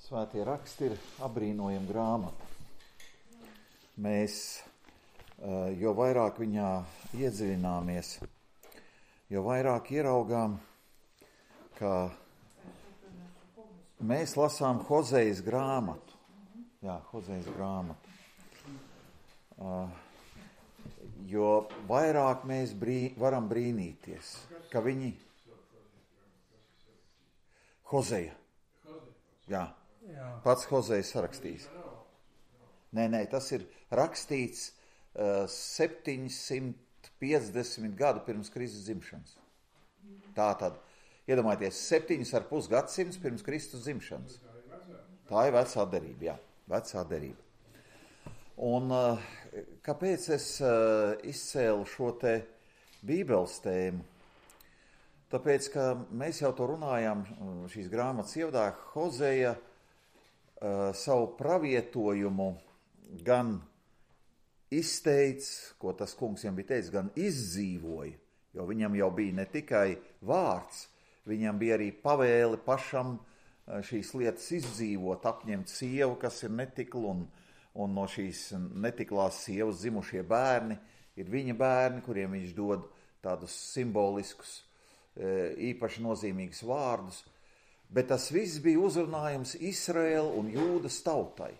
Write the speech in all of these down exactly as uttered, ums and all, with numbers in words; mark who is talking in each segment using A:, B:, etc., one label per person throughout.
A: Svētie raksti ir apbrīnojama grāmata. Mēs, jo vairāk viņā iedziļināmies, jo vairāk ieraugām, ka mēs lasām Hozejas grāmatu. Jā, Hozejas grāmatu. Jo vairāk mēs brī, varam brīnīties, ka viņi... Hozeja. Jā. Jā. Pats Hozejs sarakstījis. Nē, nē, tas ir rakstīts uh, septiņsimt piecdesmit gadu pirms Kristus dzimšanas. Tā tad, iedomājieties, septiņas ar pus gadsimts pirms Kristus dzimšanas. Tā ir vecā derība, jā, vecā derība. Un uh, kāpēc es uh, izcēlu šo te Bībeles tēmu? Tāpēc, ka mēs jau to runājām šīs grāmatas ievadā, Hozeja uh, savu pravietojumu gan izteica, ko tas kungs viņam bija teicis, gan izdzīvoja, jo viņam jau bija ne tikai vārds, viņam bija arī pavēle pašam šīs lietas izdzīvot, apņemt sievu, kas ir netikla, un, un no šīs netiklās sievas zimušie bērni ir viņa bērni, kuriem viņš dod tādus simboliskus, īpaši nozīmīgus vārdus, bet tas viss bija uzrunājums Izraēla un Jūdas tautai.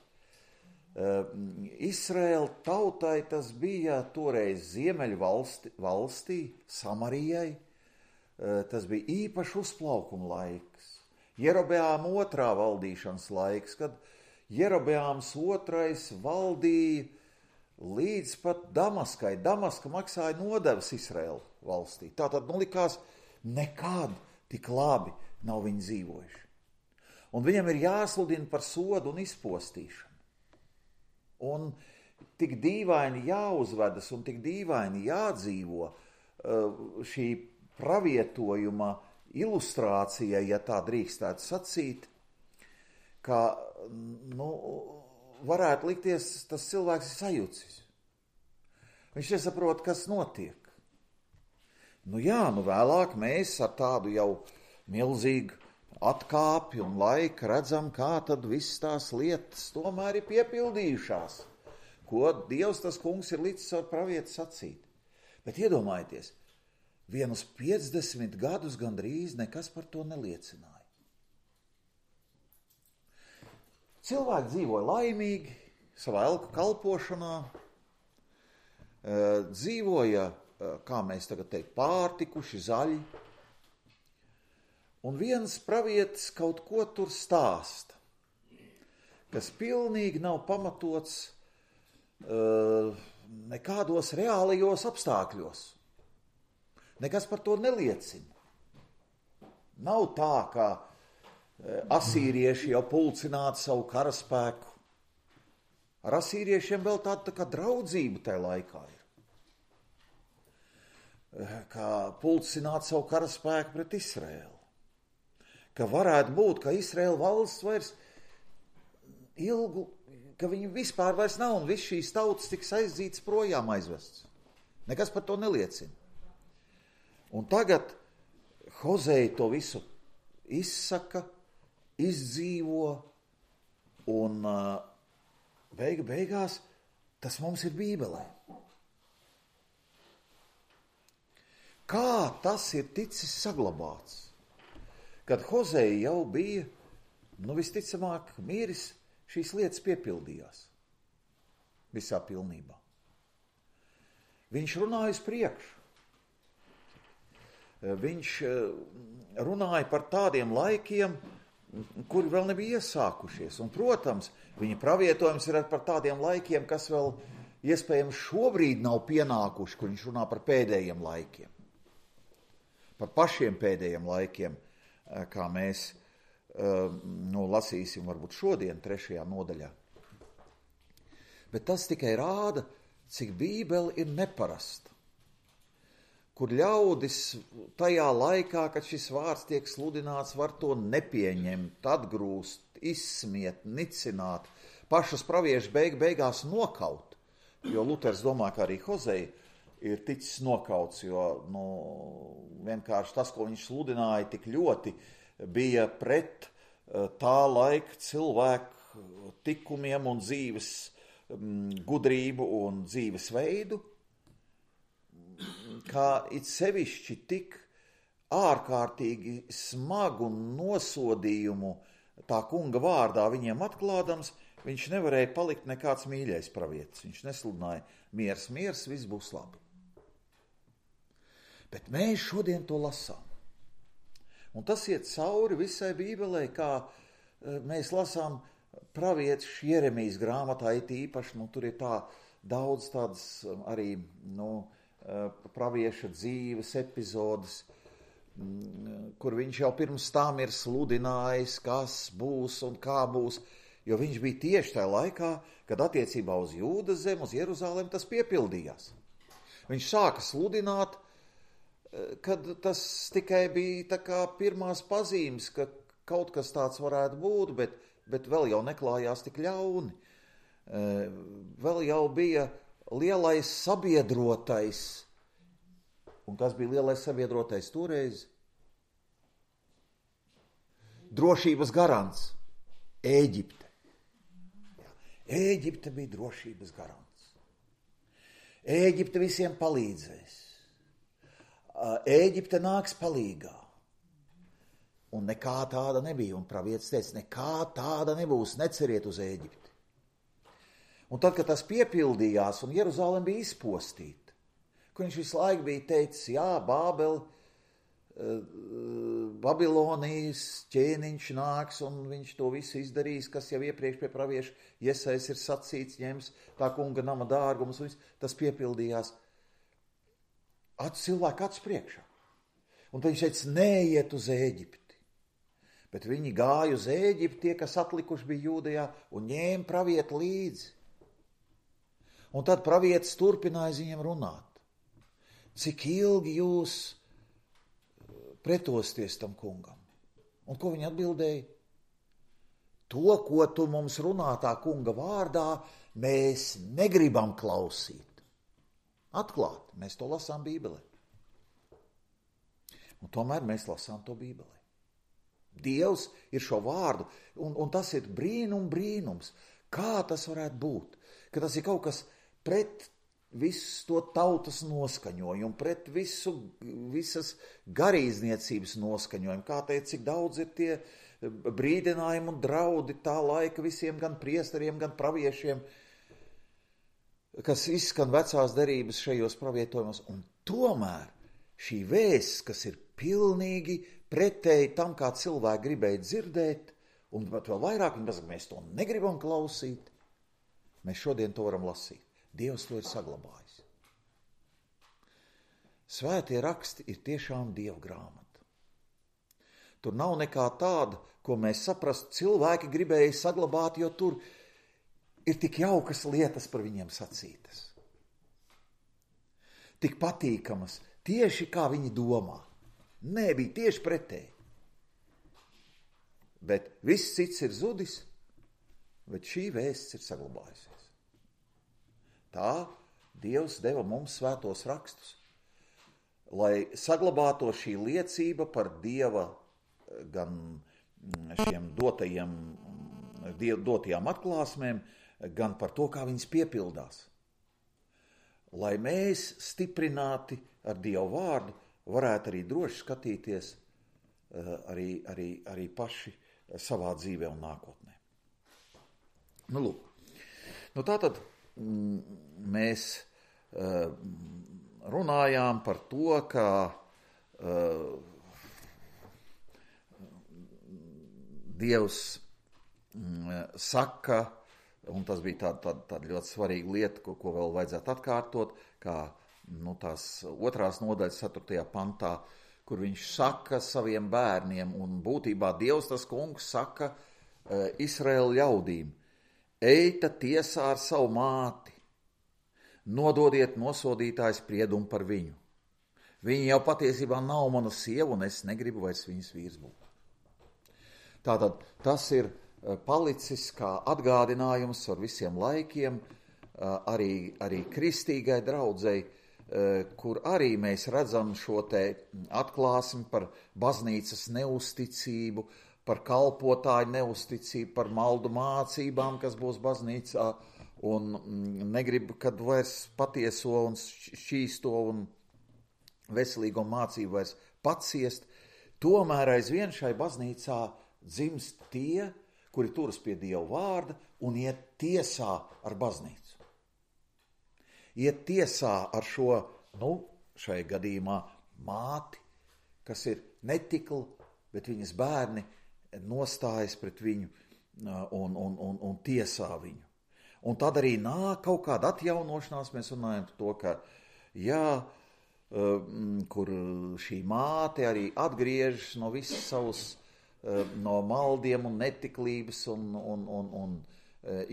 A: Izraēla tautai tas bija toreiz Ziemeļu valsti, valstī, Samarijai, tas bija īpaši uzplaukuma laiks. Jerobeāma otrā valdīšanas laiks, kad Jerobeāms otrais valdīja līdz pat Damaskai. Damaska maksāja nodevas Izraēla valstī. Tātad, nu, likās, nekad tik labi nav viņi dzīvojuši. Un viņam ir jāsludina par sodu un izpostīšanu. Un tik dīvaini jāuzvedas un tik dīvaini jādzīvo šī pravietojuma ilustrācija, ja tā drīkstētu sacīt, ka, nu, varētu likties, tas cilvēks ir sajūcis. Viņš nesaprot, kas notiek. Nu jā, nu vēlāk mēs ar tādu jau milzīgu atkāpi un laiku redzam, kā tad viss tās lietas tomēr ir piepildījušās, ko Dievs tas kungs ir līdz ar pravietu sacīt. Bet iedomājieties, vienus piecdesmit gadus gandrīz nekas par to neliecināja. Cilvēki dzīvoja laimīgi, savā elku kalpošanā, dzīvoja, kā mēs tagad teikt, pārtikuši, zaļi. Un viens pravietis kaut ko tur stāsta, kas pilnīgi nav pamatots uh, nekādos reālajos apstākļos. Nekas par to neliecina. Nav tā, ka uh, asīrieši jau pulcinātu savu karaspēku. Ar asīriešiem vēl tāda tā kā draudzība tajā laikā ir. Kā pulcināt savu karaspēku pret Izraēlu. Ka varētu būt, ka Izraēla valsts vairs ilgu, ka viņi vispār vairs nav un viss šīs tautas tiks aizdzītas projām aizvests. Nekas par to neliecina. Un tagad Hozeja to visu izsaka, izdzīvo un beiga beigās tas mums ir Bībelē. Kā tas ir ticis saglabāts? Kad Hozeja jau bija, nu visticamāk, miris, šīs lietas piepildījās visā pilnībā. Viņš runāja uz priekšu. Viņš runāja par tādiem laikiem, kuri vēl nebija iesākušies. Un, protams, viņa pravietojums ir par tādiem laikiem, kas vēl iespējams šobrīd nav pienākuši, kur viņš runā par pēdējiem laikiem. Par pašiem pēdējiem laikiem, kā mēs nu, lasīsim varbūt šodien trešajā nodaļā. Bet tas tikai rāda, cik Bībele ir neparasta. Kur ļaudis tajā laikā, kad šis vārds tiek sludināts, var to nepieņemt, atgrūst, izsmiet, nicināt, pašus praviešu beig, beigās nokaut. Jo Luters domā, ka arī Hozeja ir ticis nokauts, jo nu, vienkārši tas, ko viņš sludināja, tik ļoti bija pret tā laika cilvēku tikumiem un dzīves gudrību un dzīves veidu, kā it sevišķi tik ārkārtīgi smagu nosodījumu tā kunga vārdā viņiem atklādams, viņš nevarēja palikt nekāds mīļais pravietis. Viņš nesludināja miers, miers, viss būs labi. Bet mēs šodien to lasām. Un tas iet cauri visai Bībelē, kā mēs lasām pravietis Jeremijas grāmatā, it īpaši, nu, tur ir tā daudz tādas arī, nu, pravieša dzīves epizodes, kur viņš jau pirms tam ir sludinājis, kas būs un kā būs, jo viņš bija tieši tajā laikā, kad attiecībā uz Jūdas zemi, uz Jeruzalemi tas piepildījās. Viņš sāka sludināt, kad tas tikai bija tā kā pirmās pazīmes, ka kaut kas tāds varētu būt, bet, bet vēl jau neklājās tik ļauni. Vēl jau bija lielais sabiedrotais. Un kas bija lielais sabiedrotais toreiz? Drošības garants. Ēģipte. Ēģipte bija drošības garants. Ēģipte visiem palīdzēs. Ēģipte nāks palīgā. Un nekā tāda nebija. Un pravietis teica, nekā tāda nebūs, neceriet uz Ēģipti. Un tad, kad tas piepildījās un Jeruzalem bija izpostīta, kur viņš visu laiku bija teicis, jā, Bābeli, Babilonijas ķēniņš nāks, un viņš to visu izdarīs, kas jau iepriekš pie pravieša Jesais ir sacīts, ņems tā kunga nama dārgumus, un tas piepildījās acu cilvēku acu priekšā. Un tad viņš teica, neiet uz Ēģipti. Bet viņi gāja uz Ēģipti, tie, kas atlikuši bija Jūdejā, un ņēma pravietu līdzi. Un tad pravietis turpināja viņiem runāt. Cik ilgi jūs pretosties tam kungam? Un ko viņi atbildēja? To, ko tu mums runā tā kunga vārdā, mēs negribam klausīt. Atklāt, mēs to lasām Bībelē. Un tomēr mēs lasām to Bībelē. Dievs ir šo vārdu, un, un tas ir brīnum brīnums. Kā tas varētu būt? Ka tas ir kaut kas pret visu to tautas noskaņojumu, pret visu, visas garīdzniecības noskaņojumu. Kā teikt, cik daudz ir tie brīdinājumi un draudi tā laika visiem gan priesteriem, gan praviešiem, kas izskan vecās derības šajos pravietojumos. Un tomēr šī vēsts, kas ir pilnīgi pretēji tam, kā cilvēki gribēja dzirdēt, un pat vēl vairāk, un mēs to negribam klausīt, mēs šodien to varam lasīt. Dievs to ir saglabājis. Svētie raksti ir tiešām Dieva grāmata. Tur nav nekā tāda, ko mēs saprastu, cilvēki gribēja saglabāt, jo tur ir tik jaukas lietas par viņiem sacītas. Tik patīkamas, tieši kā viņi domā. Nē, bija tieši pretēji. Bet viss cits ir zudis, bet šī vēsts ir saglabājusies. Tā Dievs deva mums svētos rakstus, lai saglabāto šī liecība par Dieva gan šiem dotajiem, dotajām atklāsmēm, gan par to, kā viņas piepildās. Lai mēs stiprināti ar Dievu vārdu varētu arī droši skatīties arī, arī, arī paši savā dzīvē un nākotnē. Nu, lūk. Nu, tātad mēs uh, runājām par to, ka uh, Dievs um, saka, un tas bija tāda, tāda, tāda ļoti svarīga lieta, ko, ko vēl vajadzētu atkārtot, kā nu, tās otrās nodaļas ceturtajā pantā, kur viņš saka saviem bērniem, un būtībā Dievs, tas kungs, saka uh, Izraēla ļaudīm, eita tiesā ar savu māti, nododiet nosodītāju spriedumu par viņu. Viņa jau patiesībā nav mana sieva, un es negribu vairs viņas vīrs būt. Tātad tas ir palicis kā atgādinājums ar visiem laikiem, arī, arī kristīgai draudzei, kur arī mēs redzam šo te atklāsmi par baznīcas neusticību, par kalpotāju neusticību, par maldu mācībām, kas būs baznīcā, un negrib, kad vairs patieso un šķīsto un veselīgo mācību vairs paciest, tomēr aizvien šai baznīcā dzimst tie, kuri turas pie Dieva vārda un iet tiesā ar baznīcu. Iet tiesā ar šo, nu, šai gadījumā māti, kas ir netikla, bet viņas bērni nostājas pret viņu un, un, un, un tiesā viņu. Un tad arī nāk kaut kāda atjaunošanās, mēs runājam par to, ka, jā, kur šī māte arī atgriežas no visas savas, no maldiem un netiklības, un, un, un, un,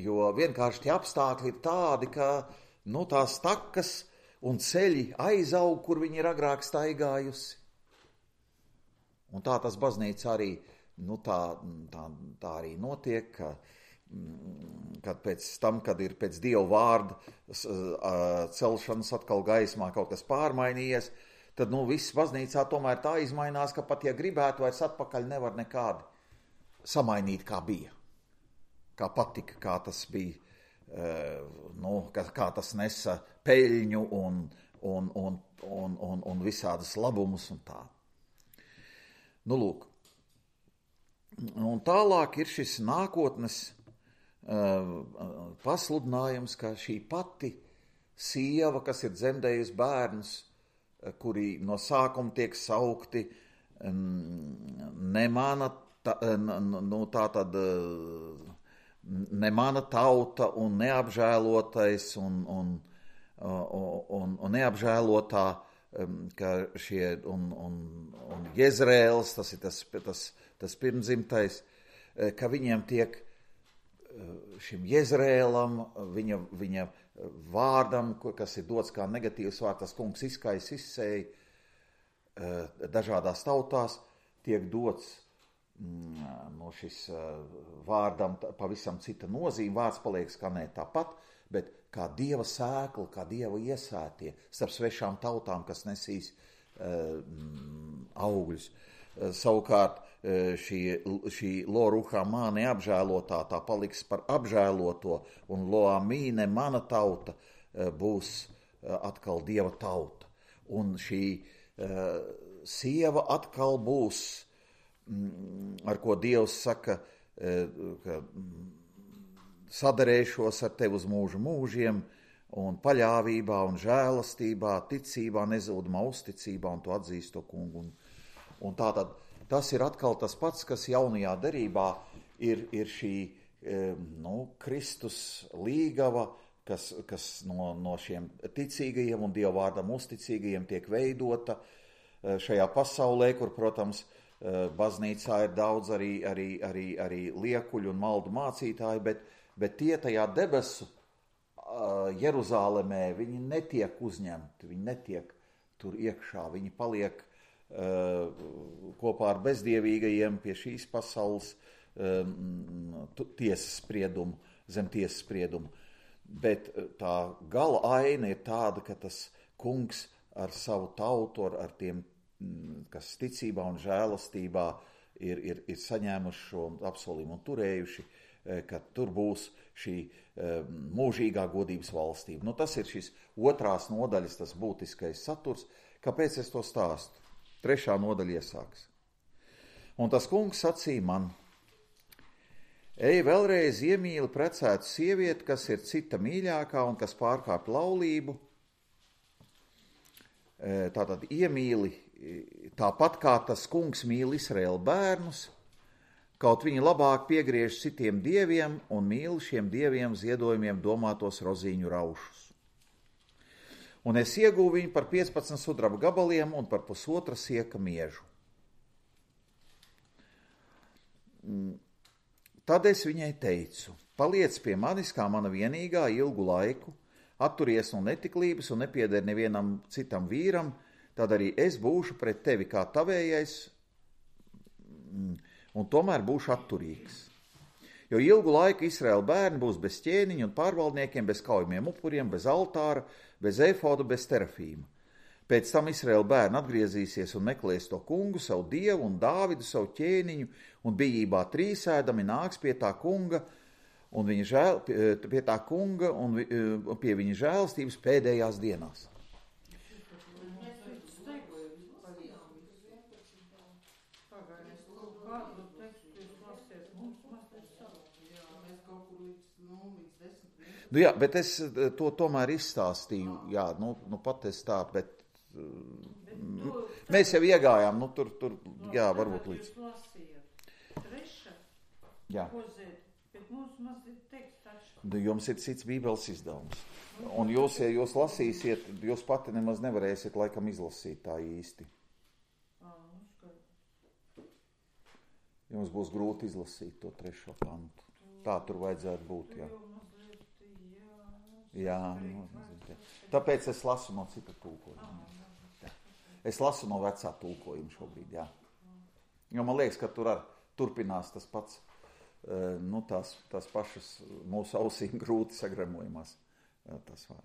A: jo vienkārši tie apstākļi ir tādi, ka, nu, tās takas un ceļi aizaug, kur viņi ir agrāk staigājusi. Un tā tas baznīca arī, nu, tā, tā, tā arī notiek, ka, kad pēc tam, kad ir pēc Dieva vārda celšanas atkal gaismā kaut kas pārmainījies, tad, nu, viss baznīcā tomēr tā izmainās, ka pat, ja gribētu, vairs atpakaļ nevar nekādi samainīt, kā bija. Kā patika, kā tas bija, nu, kā, kā tas nesa peļņu un, un, un, un, un, un visādas labumus un tā. Nu, lūk. Un tālāk ir šis nākotnes uh, pasludinājums, ka šī pati sieva, kas ir dzemdējusi bērnus, kuri no sākuma tiek saukti ne mana, ta, nu, tā tad, ne mana tauta un neapžēlotais un, un, un, un neapžēlotā, ka šie un, un, un Jezreels, tas ir tas, tas, tas pirmdzimtais, ka viņiem tiek šim Jezreelam, viņa, viņa vārdam, kas ir dots kā negatīvs vārds, tas kungs izkais, izsēja dažādās tautās, tiek dots no šis vārdam pavisam cita nozīme, vārds paliek skanēt tāpat, bet kā Dieva sēkla, kā Dieva iesētie starp svešām tautām, kas nesīs augļus. Savukārt šī, šī lo ruhamā neapžēlotā, tā paliks par apžēloto, un lo amīne, mana tauta, būs atkal Dieva tauta. Un šī uh, sieva atkal būs, mm, ar ko Dievs saka, uh, ka mm, sadarēšos ar tevi uz mūžu mūžiem, un paļāvībā un žēlastībā, ticībā, nezūdamā uzticībā, un tu atzīst to kungu. Un, un tātad tas ir atkal tas pats, kas jaunajā derībā ir, ir šī nu, Kristus līgava, kas, kas no, no šiem ticīgajiem un Dieva vārdam uzticīgajiem tiek veidota šajā pasaulē, kur, protams, baznīcā ir daudz arī, arī, arī, arī liekuļu un maldu mācītāji, bet, bet tie tajā debesu Jeruzālemē, viņi netiek uzņemti, viņi netiek tur iekšā, viņi paliek uh, kopā ar bezdievīgajiem pie šīs pasaules um, tiesas spriedumu, zem tiesas spriedumu. Bet tā gala aina ir tāda, ka tas kungs ar savu tautu, ar, ar tiem, kas ticībā un žēlastībā ir, ir, ir saņēmuši šo apsolījumu un turējuši, ka tur būs šī mūžīgā godības valstība. Nu, tas ir šis otrās nodaļas, tas būtiskais saturs. Kāpēc es to stāstu? Trešā nodaļa iesāks. Un tas kungs sacīja man: ej vēlreiz iemīli precētu sievieti, kas ir cita mīļākā un kas pārkāp laulību. Tātad iemīli tāpat kā tas kungs mīl Izraēla bērnus, kaut viņi labāk piegriež citiem dieviem un mīl šiem dieviem ziedojumiem domātos rozīņu raušus. Un es iegūvu viņu par piecpadsmit sudraba gabaliem un par pusotra sieka miežu. Tad es viņai teicu: paliec pie manis kā mana vienīgā ilgu laiku, atturies no netiklības un nepieder nevienam citam vīram, tad arī es būšu pret tevi kā tavējais, un tomēr būšu atturīgs. Jo ilgu laiku Izraēla bērni būs bez ķēniņa un pārvaldniekiem, bez kaujamiem upuriem, bez altāra, bez efoda, bez terafīma. Pēc tam Izraēla bērni atgriezīsies un meklēs to kungu, savu dievu un Dāvidu, savu ķēniņu, un bijībā trīsēdami nāks pie tā kunga, un viņa žēl, pie tā kunga un pie viņa žēlstības pēdējās dienās. Nu jā, bet es to tomēr izstāstīju, jā, nu, nu pat es tā, bet uh, mēs jau iegājām, nu tur, tur, jā, varbūt līdz. Jā. Jums ir cits bībeles izdevums. Un jūs, ja jūs lasīsiet, jūs pati nemaz nevarēsiet laikam izlasīt tā īsti. Jums būs grūti izlasīt to trešo pantu. Tā tur vajadzētu būt, jā. Jā, nu, tāpēc es lasu no cita tulkojuma. Es lasu no vecā tulkojuma šobrīd, jā. Jo man liekas, ka tur ar turpinās tas pats, nu, tās, tās pašas mūsu ausīm grūti sagramojumās. Tas var.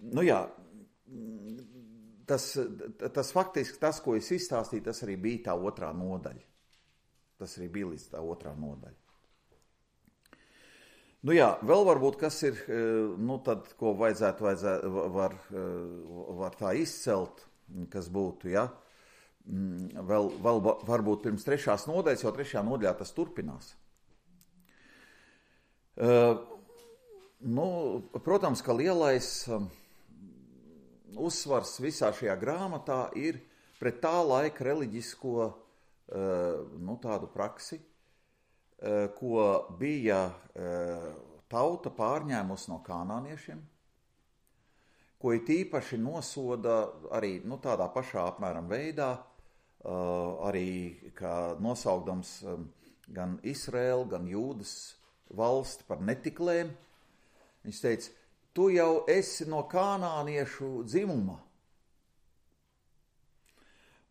A: Nu jā, tas, tas faktiski, tas, ko es izstāstīju, tas arī bija tā otrā nodaļa. Tas arī bija līdz tā otrā nodaļa. Nu jā, vēl varbūt, kas ir, nu tad, ko vajadzētu, vajadzētu var, var tā izcelt, kas būtu, ja, vēl, vēl varbūt pirms trešās nodaļas, jo trešajā nodaļā tas turpinās. Uh, nu, protams, ka lielais um, uzsvars visā šajā grāmatā ir pret tā laika reliģisko, uh, nu, tādu praksi, ko bija tauta pārņēmusi no kanāniešiem, ko it īpaši nosoda arī nu, tādā pašā apmēram veidā, arī kā nosaukdams gan Izraēlu, gan Jūdas valsti par netiklēm. Viņš teica, tu jau esi no kanāniešu dzimuma.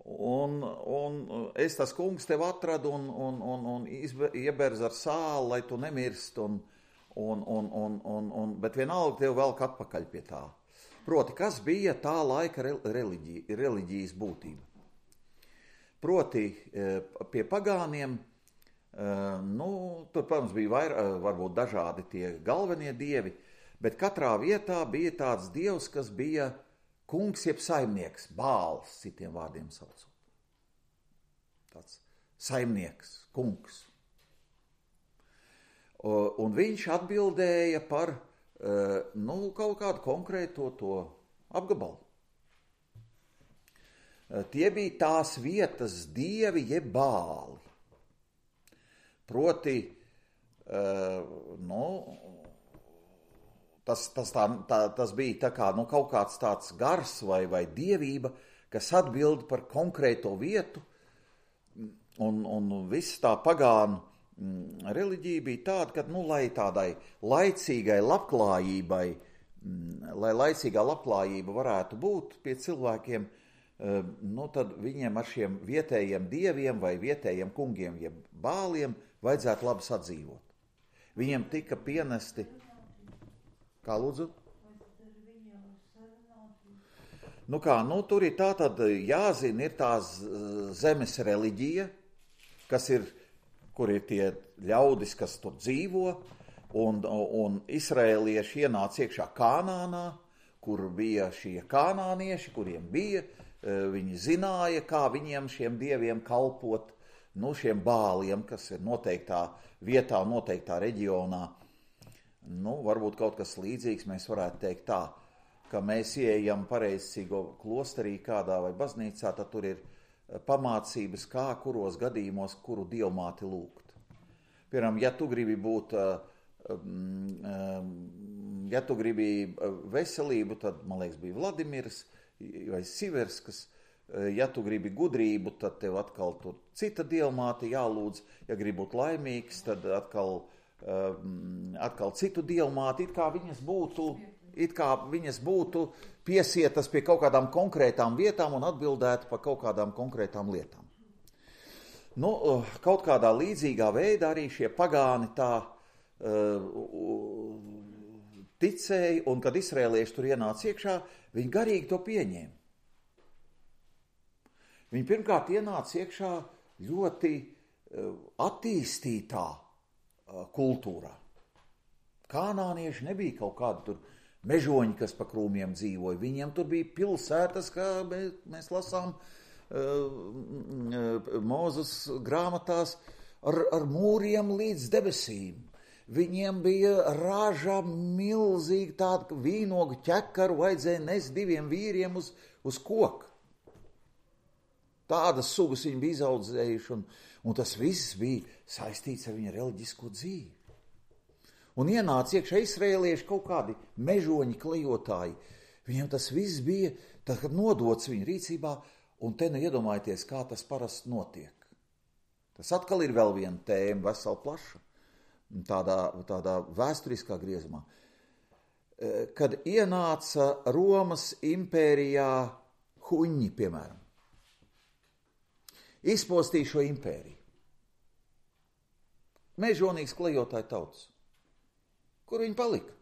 A: Un, un es tas kungs tev atradu un, un, un, un ieberz ar sāli, lai tu nemirst, un, un, un, un, un, un, bet vienalga tev velk atpakaļ pie tā. Proti, kas bija tā laika reliģija, reliģijas būtība? Proti, pie pagāniem, nu, tur, protams, bija vair, varbūt dažādi tie galvenie dievi, bet katrā vietā bija tāds dievs, kas bija kungs jeb saimnieks, Bāls, citiem vārdiem saucot. Tāds saimnieks, kungs. Un viņš atbildēja par, nu, kaut kādu konkrēto to apgabalu. Tie bija tās vietas dievi jeb Bāli. Proti, nu, Tas, tas, tā, tā, tas bija tā kā, nu, kaut kāds tāds gars vai, vai dievība, kas atbild par konkrēto vietu, un, un viss tā pagānu mm, reliģija bija tāda, ka, nu, lai tādai laicīgai labklājībai, mm, lai laicīgā labklājība varētu būt pie cilvēkiem, uh, nu, tad viņiem ar šiem vietējiem dieviem vai vietējiem kungiem, jeb bāliem, vajadzētu labi sadzīvot. Viņiem tika pienesti. Kā lūdzu? Nu kā, nu tur ir tā tad jāzina, ir tās zemes reliģija, kas ir, kur ir tie ļaudis, kas tur dzīvo, un, un izraēlieši ienāca iekšā Kanānā, kur bija šie kanānieši, kuriem bija, viņi zināja, kā viņiem šiem dieviem kalpot, nu šiem bāliem, kas ir noteiktā vietā, noteiktā reģionā. Nu, varbūt kaut kas līdzīgs mēs varētu teikt tā, ka mēs ieejam pareizcīgo klosterī kādā vai baznīcā, tad tur ir pamācības, kā, kuros gadījumos, kuru dievmāti lūgt. Piemēram, ja tu gribi būt, ja tu gribi veselību, tad, man liekas, bija Vladimirs vai Siverskas. Ja tu gribi gudrību, tad tev atkal tur cita dievmāte jālūdz. Ja gribi būt laimīgs, tad atkal atkal citu dievmāti, it kā viņas būtu, it kā viņas būtu piesietas pie kaut kādām konkrētām vietām un atbildētu par kaut kādām konkrētām lietām. Nu, kaut kādā līdzīgā veidā arī šie pagāni tā uh, ticēja, un kad izrēlieši tur ienāca iekšā, viņi garīgi to pieņēma. Viņi pirmkārt ienāca iekšā ļoti attīstītā kultūrā. Kanānieši nebija kaut kādi tur mežoņi, kas pa krūmiem dzīvoja. Viņiem tur bija pilsētas, kā mēs, mēs lasām uh, Mūzes grāmatās, ar, ar mūriem līdz debesīm. Viņiem bija raža milzīgi tāda vīnogu ķekaru, vajadzēja nest diviem vīriem uz, uz koku. Tādas sugas viņi bija izaudzējuši, un, un tas viss bija saistīts ar viņa reliģisko dzīvi. Un ienāca iekšā izrēlieši kaut kādi mežoņi, klejotāji. Viņiem tas viss bija tā, nodots viņu rīcībā, un te nu iedomājieties, kā tas parasti notiek. Tas atkal ir vēl viena tēma, vesela plaša, tādā, tādā vēsturiskā griezumā. Kad ienāca Romas impērijā huņi, piemēram, izpostīja šo impēriju. Mežonīgs klejotāju tautas. Kur viņi palika?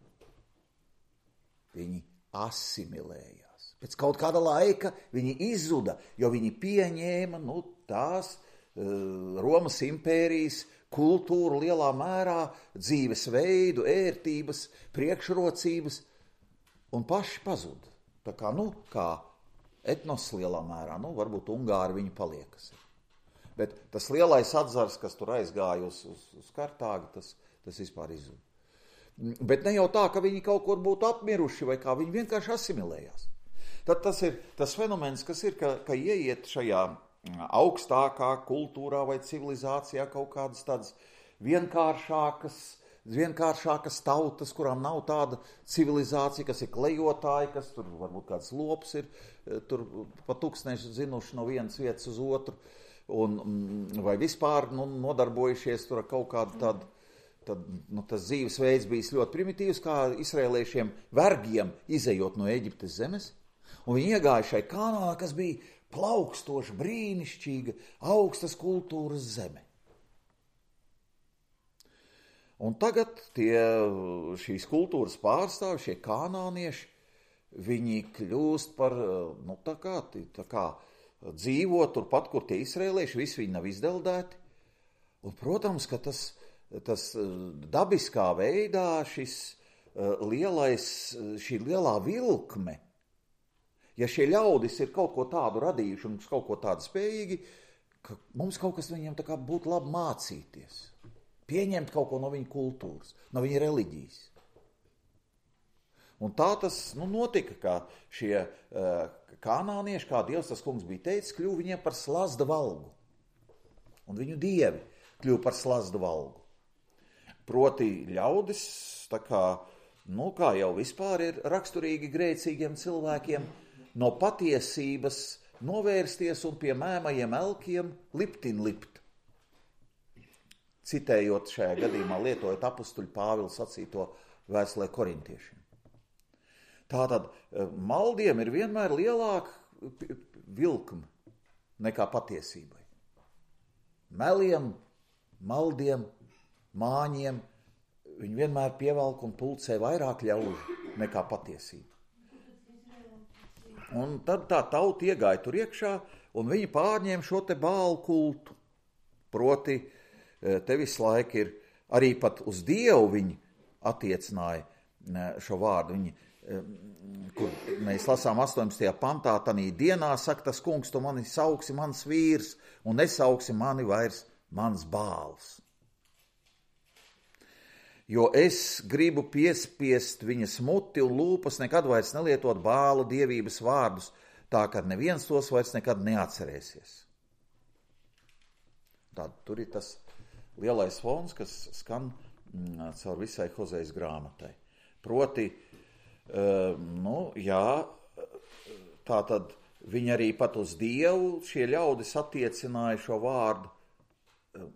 A: Viņi asimilējās. Pēc kaut kāda laika viņi izzuda, jo viņi pieņēma nu, tās uh, Romas impērijas kultūru lielā mērā, dzīvesveidu, ērtības, priekšrocības, un paši pazuda. Tā kā, nu, kā etnos lielā mērā, nu, varbūt Ungāri viņi paliekas. Bet tas lielais atzars, kas tur aizgāja uz, uz, uz Kartāgu, tas, tas vispār izzuda. Bet ne jau tā, ka viņi kaut kur būtu apmiruši, vai kā viņi vienkārši asimilējās. Tad tas ir tas fenomens, kas ir, ka, ka ieiet šajā augstākā kultūrā vai civilizācijā kaut kādas tādas vienkāršākas, vienkāršākas tautas, kurām nav tāda civilizācija, kas ir klejotāji, kas tur varbūt kāds lops ir, tur pa tūkstneši zinuši no vienas vietas uz otru, un, vai vispār nu, nodarbojušies tur ar kaut kādu tādu, tad nu, tas dzīvesveids bijis ļoti primitīvs, kā izrēliešiem vergiem izejot no Eģiptes zemes, un viņi iegāja šai Kanānā, kas bija plaukstoša, brīnišķīga, augstas kultūras zeme. Un tagad tie, šīs kultūras pārstāvi, šie kanānieši, viņi kļūst par, nu tā kā, tā kā dzīvo turpat, kur tie izrēlieši, visi viņi nav izdeldēti. Un, protams, ka tas, tas dabiskā veidā šis lielais, šī lielā vilkme, ja šie ļaudis ir kaut ko tādu radījuši un kaut ko tādu spējīgi, ka mums kaut kas viņiem tā kā būtu labi mācīties, pieņemt kaut ko no viņa kultūras, no viņa reliģijas. Un tā tas nu, notika, ka šie uh, kanānieši, kā Dievs tas kungs bija teicis, kļuva viņiem par slazda valgu. Un viņu dievi kļuva par slazda valgu. Proti ļaudis, tā kā, nu, kā jau vispār ir raksturīgi grēcīgiem cilvēkiem, no patiesības novērsties un pie mēmajiem elkiem liptin lipt. Citējot šajā gadījumā, lietojot apustuļu Pāvila sacīto vēstulē korintiešiem. Tātad maldiem ir vienmēr lielāka vilkme nekā patiesībai. Meliem, maldiem, māņiem viņi vienmēr pievelk un pulcē vairāk ļaužu nekā patiesība. Un tad tā tauta iegāja tur iekšā, un viņi pārņēma šo te bālu kultu. Proti, te visu laiku ir, arī pat uz Dievu viņi attiecināja šo vārdu. Viņi, kur mēs lasām astoņpadsmitajā pantā, tanī dienā saka tas kungs, tu mani sauksi mans vīrs, un nesauksi mani vairs mans bāls. Jo es gribu piespiest viņas muti un lūpas nekad vairs nelietot bālu dievības vārdus, tā ka neviens tos vairs nekad neatcerēsies. Tad tur ir tas lielais fons, kas skan mm, caur visai Hozejas grāmatai. Proti, uh, nu, jā, tā tad viņi arī pat uz Dievu šie ļaudis attiecināja šo vārdu, uh,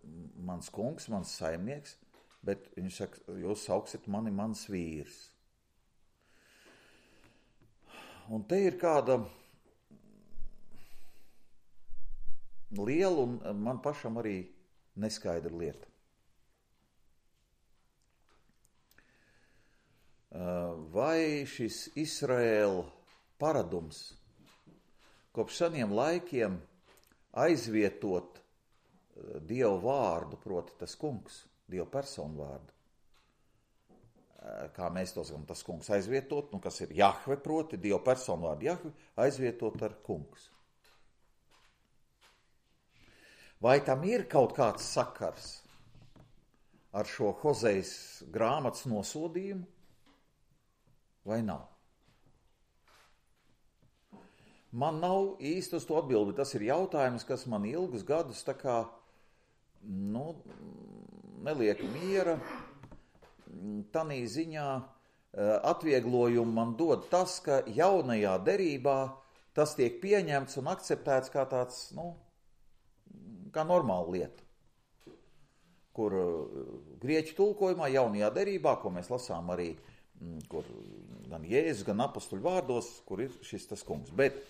A: mans kungs, mans saimnieks, bet viņš saka, jūs sauksit mani mans vīrs. Un te ir kāda liela un man pašam arī neskaidra lieta. Vai šis Izraēla paradums kopš seniem laikiem aizvietot Dievu vārdu, proti tas kungs, Dievu personu vārdu. Kā mēs to sakām, tas kungs aizvietot, nu kas ir Jahve, proti Dievu personu vārdu Jahve, aizvietot ar kungs. Vai tam ir kaut kāds sakars ar šo Hozejas grāmatas nosodījumu, vai nav? Man nav īsti uz to atbildi, tas ir jautājums, kas man ilgus gadus tā kā, nu, neliek miera. Tanī ziņā atvieglojumu man dod tas, ka jaunajā derībā tas tiek pieņemts un akceptēts kā tāds, nu, kā normāla lieta, kur grieķu tulkojumā jaunajā derībā, ko mēs lasām arī, kur gan Jēzus, gan apostuļu vārdos, kur ir šis tas kungs. Bet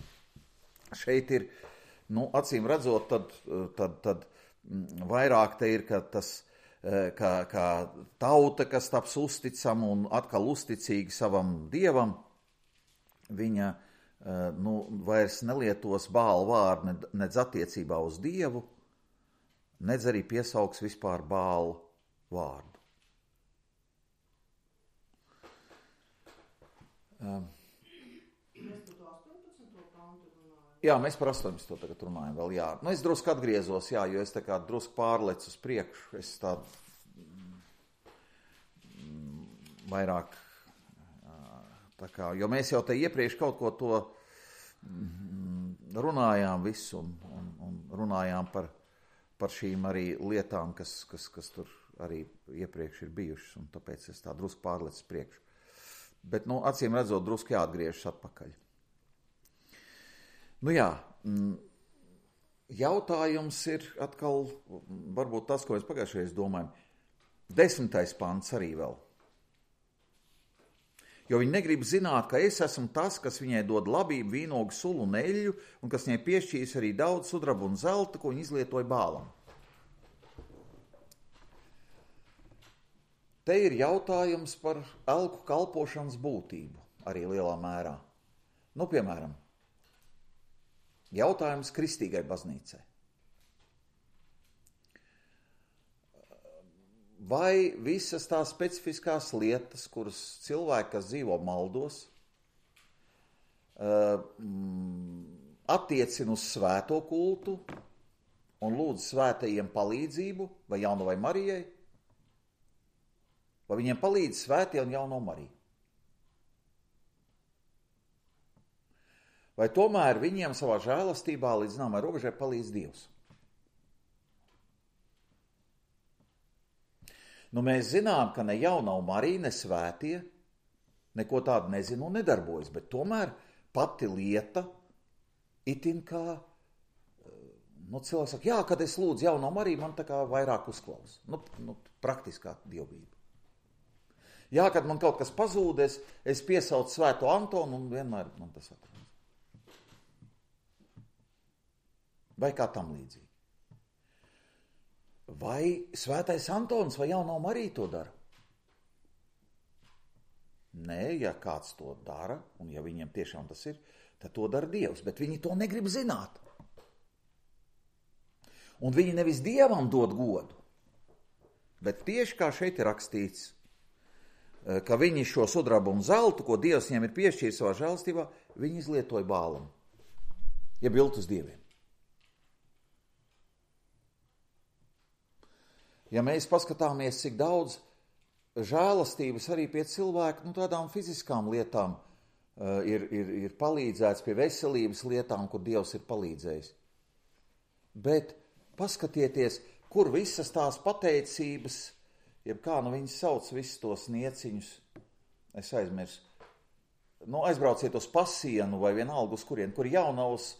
A: šeit ir, nu, acīm redzot, tad, tad, tad vairāk te ir, ka tas, kā, kā tauta, kas taps uzticama un atkal uzticīga savam dievam, viņa, nu, vairs nelietos Bāla vārdu nedz attiecībā uz dievu, nedz arī piesauks vispār Bāla vārdu. Um. Jā, mēs par astoņpadsmito tagad runājam vēl, jā. Nu, es drusku atgriezos, jā, jo es tā kā drusku pārlecu uz priekšu, es tā vairāk, tā kā, jo mēs jau te iepriekš kaut ko to runājām visu un, un, un runājām par, par šīm arī lietām, kas, kas, kas tur arī iepriekš ir bijušas, un tāpēc es tā drusku pārlecu uz priekšu. Bet, nu, acīm redzot, drusku jāatgriežas atpakaļ. Nu jā, jautājums ir atkal, varbūt tas, ko mēs pagājušajā domājam, desmitais pants arī vēl. Jo viņi negrib zināt, ka es esmu tas, kas viņai dod labību, vīnogu, sulu un eļļu, un kas viņai piešķīs arī daudz sudraba un zelta, ko viņi izlietoja Bālam. Te ir jautājums par elku kalpošanas būtību, arī lielā mērā. Nu, piemēram, jautājums kristīgai baznīcai. Vai visas tās specifiskās lietas, kuras cilvēki, kas dzīvo maldos, attiecina uz svēto kultu un lūdz svētajiem palīdzību, vai Jaunavai Marijai, vai viņiem palīdz svētie un Jauno Mariju? Vai tomēr viņiem savā žēlastībā līdz zināmai robežai palīdz Dievs? Nu, mēs zinām, ka ne Jaunā Marija, ne svētie neko tādu nezina un nedarbojas, bet tomēr pati lieta itin kā, nu, cilvēks saka, jā, kad es lūdzu Jauno Mariju, man tā kā vairāk uzklaus. Nu, nu, praktiskā dievbība. Jā, kad man kaut kas pazūdes, es piesaucu svēto Antonu un vienmēr man tas atrādās. Vai kā tam līdzīgi. Vai svētais Antons vai Jaunā Marija to dara? Nē, ja kāds to dara, un ja viņiem tiešām tas ir, tad to dara Dievs, bet viņi to negrib zināt. Un viņi nevis Dievam dod godu, bet tieši kā šeit ir rakstīts, ka viņi šo sudrabu un zeltu, ko Dievs viņiem ir piešķīris savā žēlstībā, viņi izlietoja Bālam, ja biltus dieviem. Ja mēs paskatāmies, cik daudz žēlastības arī pie cilvēku, nu, tādām fiziskām lietām uh, ir, ir, ir palīdzēts, pie veselības lietām, kur Dievs ir palīdzējis. Bet paskatieties, kur visas tās pateicības, jeb kā nu viņas sauc visus tos nieciņus, es aizmirsu, nu, aizbrauciet uz Pasienu vai vienalga uz kurien, kur Jaunavas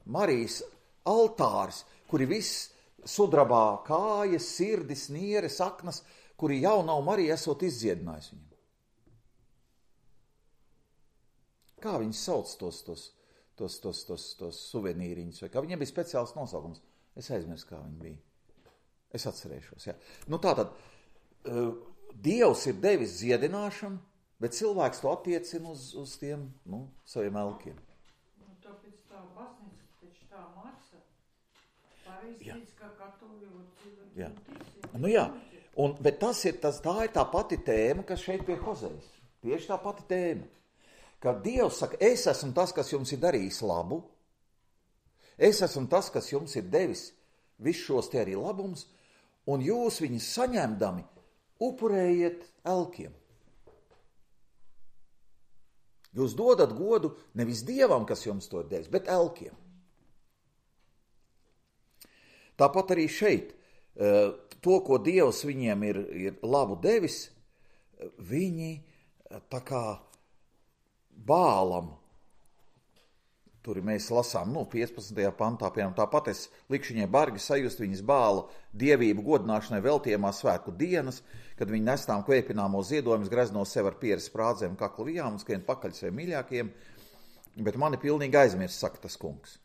A: Marijas altārs, kuri viss sudrabā kājas, sirdis, nieres, aknas, kuri Jaunā Marija esot izdziedinājis viņam. Kā viņus sauc tos, tos, tos, tos, tos, tos suvenīriņus, vai kā viņiem bija speciāls nosaukums? Es aizmirsu, kā viņi bija. Es atcerēšos, jā. Nu tātad, uh, Dievs ir devis dziedināšanu, bet cilvēks to attiecina uz, uz tiem, nu, saviem elkiem.
B: Nu, tāpēc tā baznīca, taču tā māca,
A: Jā. Jā. Nu jā, un, bet tas ir, tas, tā ir tā pati tēma, kas šeit pie Hozejas. Tieši tā pati tēma. Kad Dievs saka, es esmu tas, kas jums ir darījis labu, es esmu tas, kas jums ir devis visus šos te arī labums, un jūs viņus saņemdami upurējiet elkiem. Jūs dodat godu nevis Dievam, kas jums to devis, bet elkiem. Tāpat arī šeit, to, ko Dievs viņiem ir, ir labu devis, viņi tā kā Bālam, tur mēs lasām, nu, piecpadsmitajā pantā, piemēram, tāpat es likšu viņai bargi sajust viņas Bāla dievību godināšanai veltījumā svētku dienas, kad viņi nestām kvēpināmo ziedojumus, grezno sev ar pieres sprādzēm, kaklu vijām un skrien pakaļ saviem mīļākiem, bet mani pilnīgi aizmirst, saka tas kungs.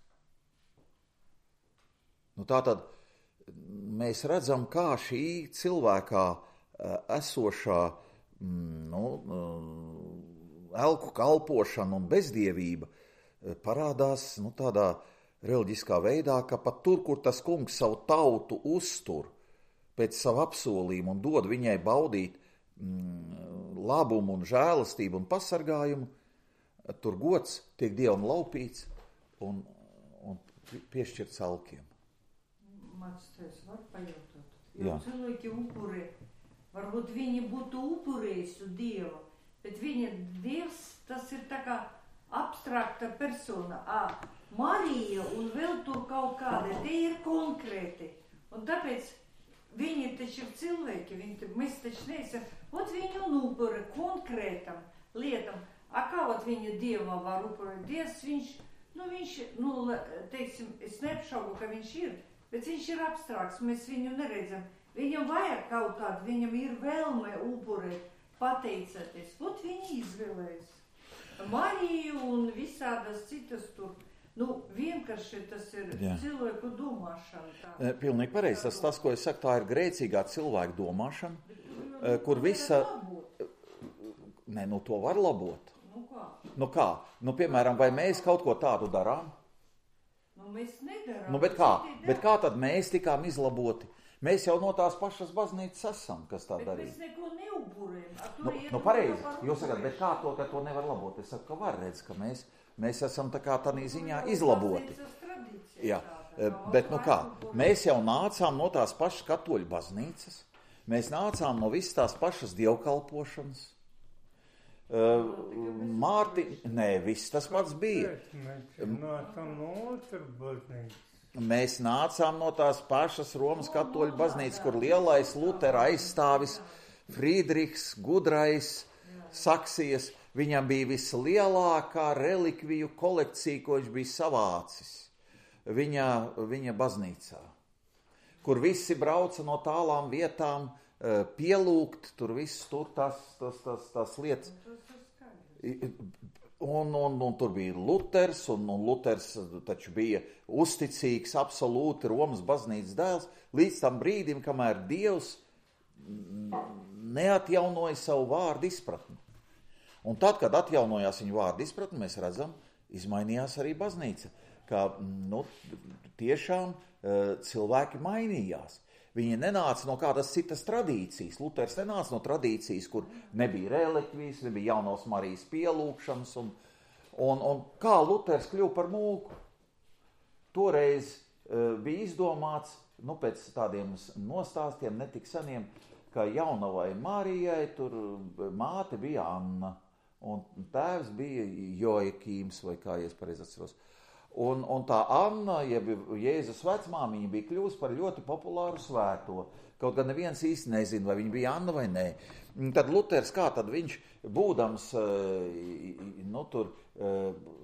A: Nu, tātad mēs redzam, kā šī cilvēkā esošā, nu, elku kalpošana un bezdievība parādās, nu, tādā reliģiskā veidā, ka pat tur, kur tas kungs savu tautu uztur pēc savu apsolījumu un dod viņai baudīt mm, labumu un žēlastību un pasargājumu, tur gods tiek Dievam laupīts un, un piešķirts elkiem.
B: Mats, es varu pajautāt. Jo cilvēki upurē, varbūt viņi būtu upurējusi Dievu, bet viņa Dievs, tas ir tā kā abstrakta persona. Ā, Marija un vēl tur kaut kāda, tie ir konkrēti. Un tāpēc viņi taču ir cilvēki, viņi, mēs taču neesam, ot viņu un upura konkrētam lietam. A kā ot viņa Dievam var upurēt? Dievs, viņš, nu viņš, nu, teiksim, es neapšaubu, ka viņš ir, bet viņš ir abstrakts, mēs viņu neredzam. Viņam vajag kaut kādu, viņam ir vēlme upurēt, pateicoties. Ot viņi izvēlējas. Mariju un visādas citas tur. Nu, vienkārši tas ir Jā. cilvēku domāšana. Tā.
A: Pilnīgi pareizi. Tas, tas, ko es saku, tā ir grēcīgā cilvēka domāšana, bet, kur visa... Nē, nu to var labot.
B: Nu kā?
A: Nu kā? Nu, piemēram, vai mēs kaut ko tādu darām?
B: Nu, mēs nedarām.
A: Nu, bet kā? Bet kā tad mēs tikām izlaboti? Mēs jau no tās pašas baznīcas esam, kas tā darīja.
B: Bet mēs neko neupurējam.
A: Nu, nu pareizi. Jūs sakat, bet kā to, ka to nevar labot? Es saku, ka var redz, ka mēs, mēs esam tā kā tādā ziņā izlaboti. Jā, bet nu kā? Mēs jau nācām no tās pašas katoļu baznīcas. Mēs nācām no visas tās pašas dievkalpošanas. Uh, Mārti, nē, viss tas pats bija. Mēs nācām no tās pašas Romas katoļu baznīcas, kur lielais Lutera aizstāvis Friedrichs, gudrais, Saksijas. Viņam bija vislielākā relikviju kolekcija, ko viņš bija savācis viņa, viņa baznīcā, kur visi brauca no tālām vietām pielūgt, tur viss tur tas, tas, tas, tas lietas. Un, un, un tur bija Luters, un, un Luters taču bija uzticīgs, absolūti Romas baznīcas dēls, līdz tam brīdim, kamēr Dievs neatjaunoja savu vārdu izpratni. Un tad, kad atjaunojās viņa vārdu izpratni, mēs redzam, izmainījās arī baznīca, ka nu, tiešām cilvēki mainījās. Viņi nenāca no kādas citas tradīcijas. Luters nenāca no tradīcijas, kur nebija relikvijas, nebija jaunās Marijas pielūgšanas. Un, un, un kā Luters kļuva par mūku? Toreiz uh, bija izdomāts, nu, pēc tādiem nostāstiem netik seniem, ka jaunavai Marijai tur māte bija Anna, un tēvs bija Joakīms, vai kā es pareizi atceros. Un, un tā Anna, jeb Jēzus vecmāmiņa, bija kļuvusi par ļoti populāru svēto. Kaut gan neviens īsti nezina, vai viņa bija Anna vai nē. Tad Luters, kā tad viņš, būdams nu, tur,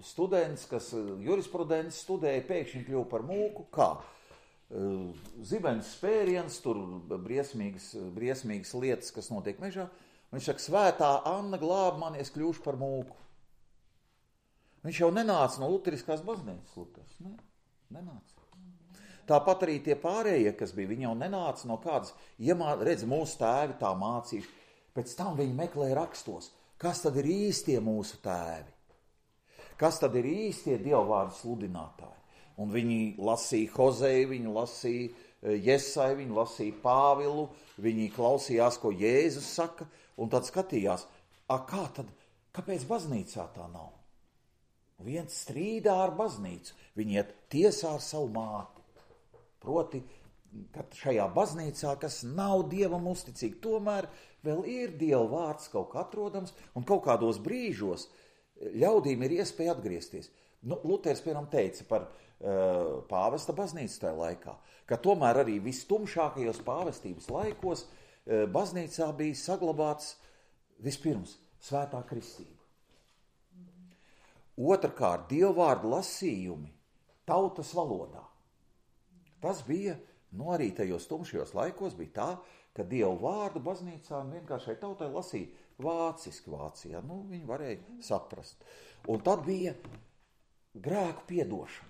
A: students, kas jurisprudents studēja, pēkšņi kļuva par mūku, kā? Zibens spēriens, tur briesmīgas, briesmīgas lietas, kas notiek mežā. Viņš saka, svētā Anna glāb mani, es kļūšu par mūku. Viņš jau nenāca no luteriskās baznīcas, Luters, ne, nenāca. Tāpat arī tie pārējie, kas bija, viņi jau nenāca no kādas, iemā, redz, mūsu tēvi tā mācīši, pēc tam viņi meklē rakstos, kas tad ir īstie mūsu tēvi, kas tad ir īstie dievvvārdu sludinātāji. Un viņi lasīja Hozeju, viņi lasīja Jesai, viņi lasīja Pāvilu, viņi klausījās, ko Jēzus saka, un tad skatījās, a, kā tad, kāpēc baznīcā tā nav? Viens strīdā ar baznīcu, viņi iet tiesā ar savu māti. Proti, ka šajā baznīcā, kas nav Dievam uzticīgi, tomēr vēl ir Dieva vārds kaut kā atrodams, un kaut kādos brīžos ļaudīm ir iespēja atgriezties. Nu, Luters, piemēram, teica par uh, pāvesta baznīcu tajā laikā, ka tomēr arī vistumšākajos pāvestības laikos uh, baznīcā bija saglabāts vispirms svētā kristība. Otrkārt, dievvvārdu lasījumi tautas valodā. Tas bija, nu arī tajos tumšajos laikos bija tā, ka dievu vārdu baznīcā vienkāršai tautai lasīja vāciski Vācijā. Nu, viņi varēja saprast. Un tad bija grēku piedošana.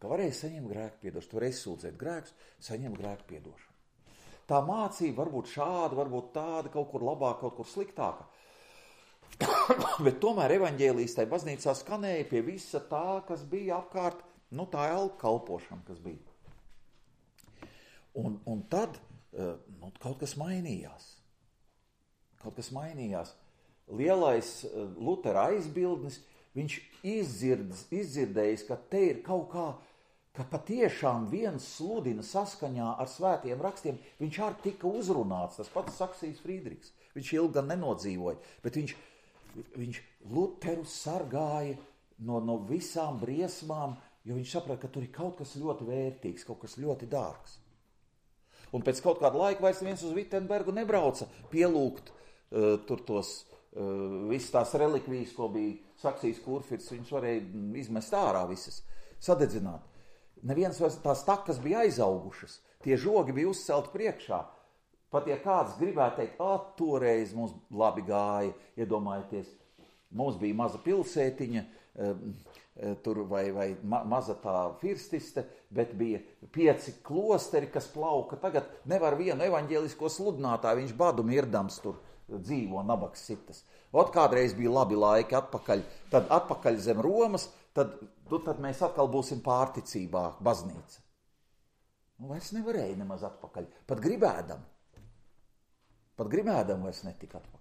A: Ka varēja saņemt grēku piedošanu, varēja sūdzēt grēkus, saņemt grēku piedošanu. Tā mācība varbūt šāda, varbūt tāda, kaut kur labāka, kaut kur sliktāka. Bet tomēr evaņģēlijas tai baznīcā skanēja pie visa tā, kas bija apkārt, nu tā elku kalpošana, kas bija. Un, un tad nu, kaut kas mainījās. Kaut kas mainījās. Lielais Lutera aizbildnis, viņš izdzird, izdzirdējis, ka te ir kaut kā, ka patiešām viens sludina saskaņā ar svētiem rakstiem, viņš arī tika uzrunāts, tas pats Saksijas Frīdriks. Viņš ilgi gan nenodzīvoja, bet viņš, viņš Luteru sargāja no, no visām briesmām, jo viņš saprata, ka tur ir kaut kas ļoti vērtīgs, kaut kas ļoti dārgs. Un pēc kaut kāda laika vairs viens uz Vittenbergu nebrauca pielūgt uh, tur tos uh, visas tās relikvijas, ko bija Saksijas kurfirts, viņš varēja izmest ārā visas, sadedzināt. Neviens vairs tās takas bija aizaugušas, tie žogi bija uzcelti priekšā. Pat ja kāds gribētu teikt, ah, toreiz mums labi gāja, iedomājieties, mums bija maza pilsētiņa, tur vai, vai ma, maza tā firstiste, bet bija pieci klosteri, kas plauka. Tagad nevar vienu evaņģēlisko sludinātāju, viņš badu mirdams tur dzīvo nabaks sitas. Ot kādreiz bija labi laiki atpakaļ, tad atpakaļ zem Romas, tad, tad mēs atkal būsim pārticībā baznīca. Nu, vairs nevarēja nemaz atpakaļ, pat gribēdam. Pat gribēdam vairs netika atpakaļ.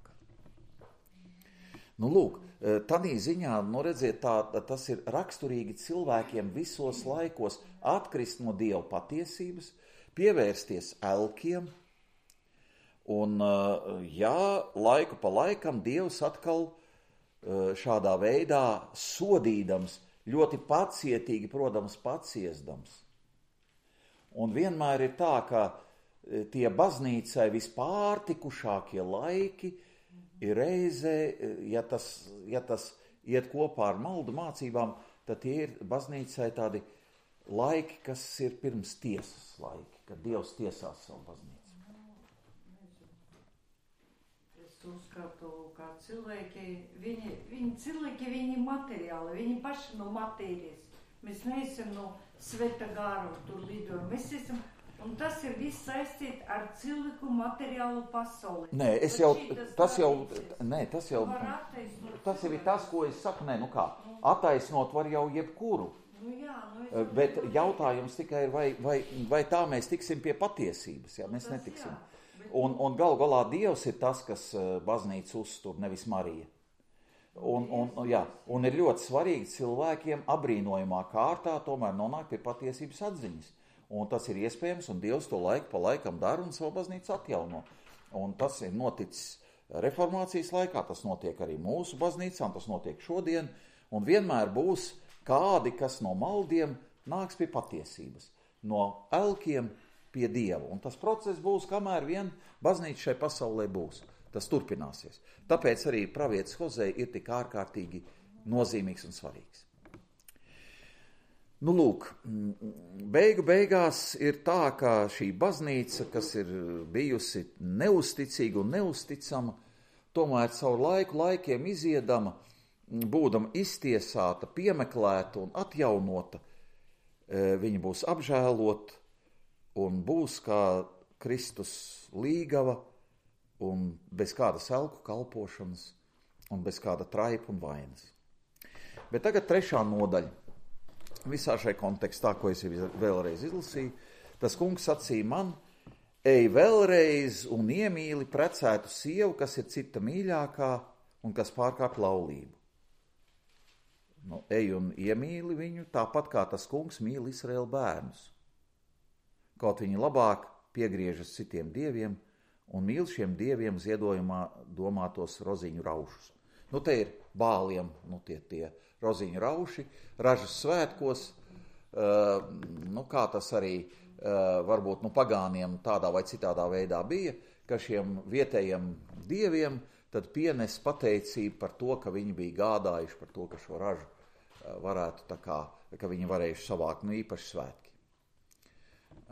A: Nu, lūk, tādī ziņā, nu, redziet, tā, tas ir raksturīgi cilvēkiem visos laikos atkrist no Dieva patiesības, pievērsties elkiem, un, jā, laiku pa laikam Dievs atkal šādā veidā sodīdams, ļoti pacietīgi, protams, paciesdams. Un vienmēr ir tā, ka tie baznīcai vispārtikušākie laiki ir reizē, ja tas, ja tas iet kopā ar maldu mācībām, tad tie ir baznīcai tādi laiki, kas ir pirms tiesas laiki, kad Dievs tiesās savu baznīcu.
B: Es uzskatu, kā cilvēki, viņi, viņi cilvēki, viņi materiāli, viņi paši no matērijas. Mēs neesam no sveta gāra tur lidojam, mēs esam. Un tas ir viss saistīt ar cilvēku materiālu pasauli.
A: Nē, es jau, tas jau, nē, tas jau, tas jau ir tas, ko es saku, nē, nu kā, attaisnot var jau jebkuru.
B: Nu jā, nu es...
A: Bet jautājums tikai ir, vai, vai, vai tā mēs tiksim pie patiesības, jā, mēs netiksim.
B: Jā, bet...
A: Un, un gal galā Dievs ir tas, kas baznīcu uztur, nevis Marija. Un, un, jā, un ir ļoti svarīgi cilvēkiem abrīnojumā kārtā tomēr nonākt pie patiesības atziņas. Un tas ir iespējams, un Dievs to laiku pa laikam dara un savu baznīcu atjauno. Un tas ir noticis reformācijas laikā, tas notiek arī mūsu baznīcām, tas notiek šodien, un vienmēr būs kādi, kas no maldiem nāks pie patiesības, no elkiem pie Dieva. Un tas process būs, kamēr vien baznīca šai pasaulē būs. Tas turpināsies. Tāpēc arī pravietis Hozej ir tik ārkārtīgi nozīmīgs un svarīgs. Nu, lūk, beigu beigās ir tā, ka šī baznīca, kas ir bijusi neusticīga un neusticama, tomēr caur laiku laikiem iziedama, būdama iztiesāta, piemeklēta un atjaunota, viņa būs apžēlota un būs kā Kristus līgava un bez kādas elku kalpošanas un bez kāda traipa un vainas. Bet tagad trešā nodaļa. visā šai kontekstā, ko es vēlreiz izlasīju, tas kungs sacīja man, ej vēlreiz un iemīli precētu sievu, kas ir cita mīļākā un kas pārkāp laulību. Nu, ej un iemīli viņu, tāpat kā tas kungs mīl Izraēla bērnus. Kaut viņi labāk piegriežas citiem dieviem un mīl šiem dieviem ziedojumā domātos roziņu raušus. Nu, te ir bāliem, nu, tie, tie roziņu rauši, ražas svētkos, uh, nu, kā tas arī uh, varbūt nu, pagāniem tādā vai citādā veidā bija, ka šiem vietējiem dieviem tad pienes pateicību par to, ka viņi bija gādājuši par to, ka šo ražu uh, varētu tā kā, ka viņi varējuši savākt, nu, īpaši svētki.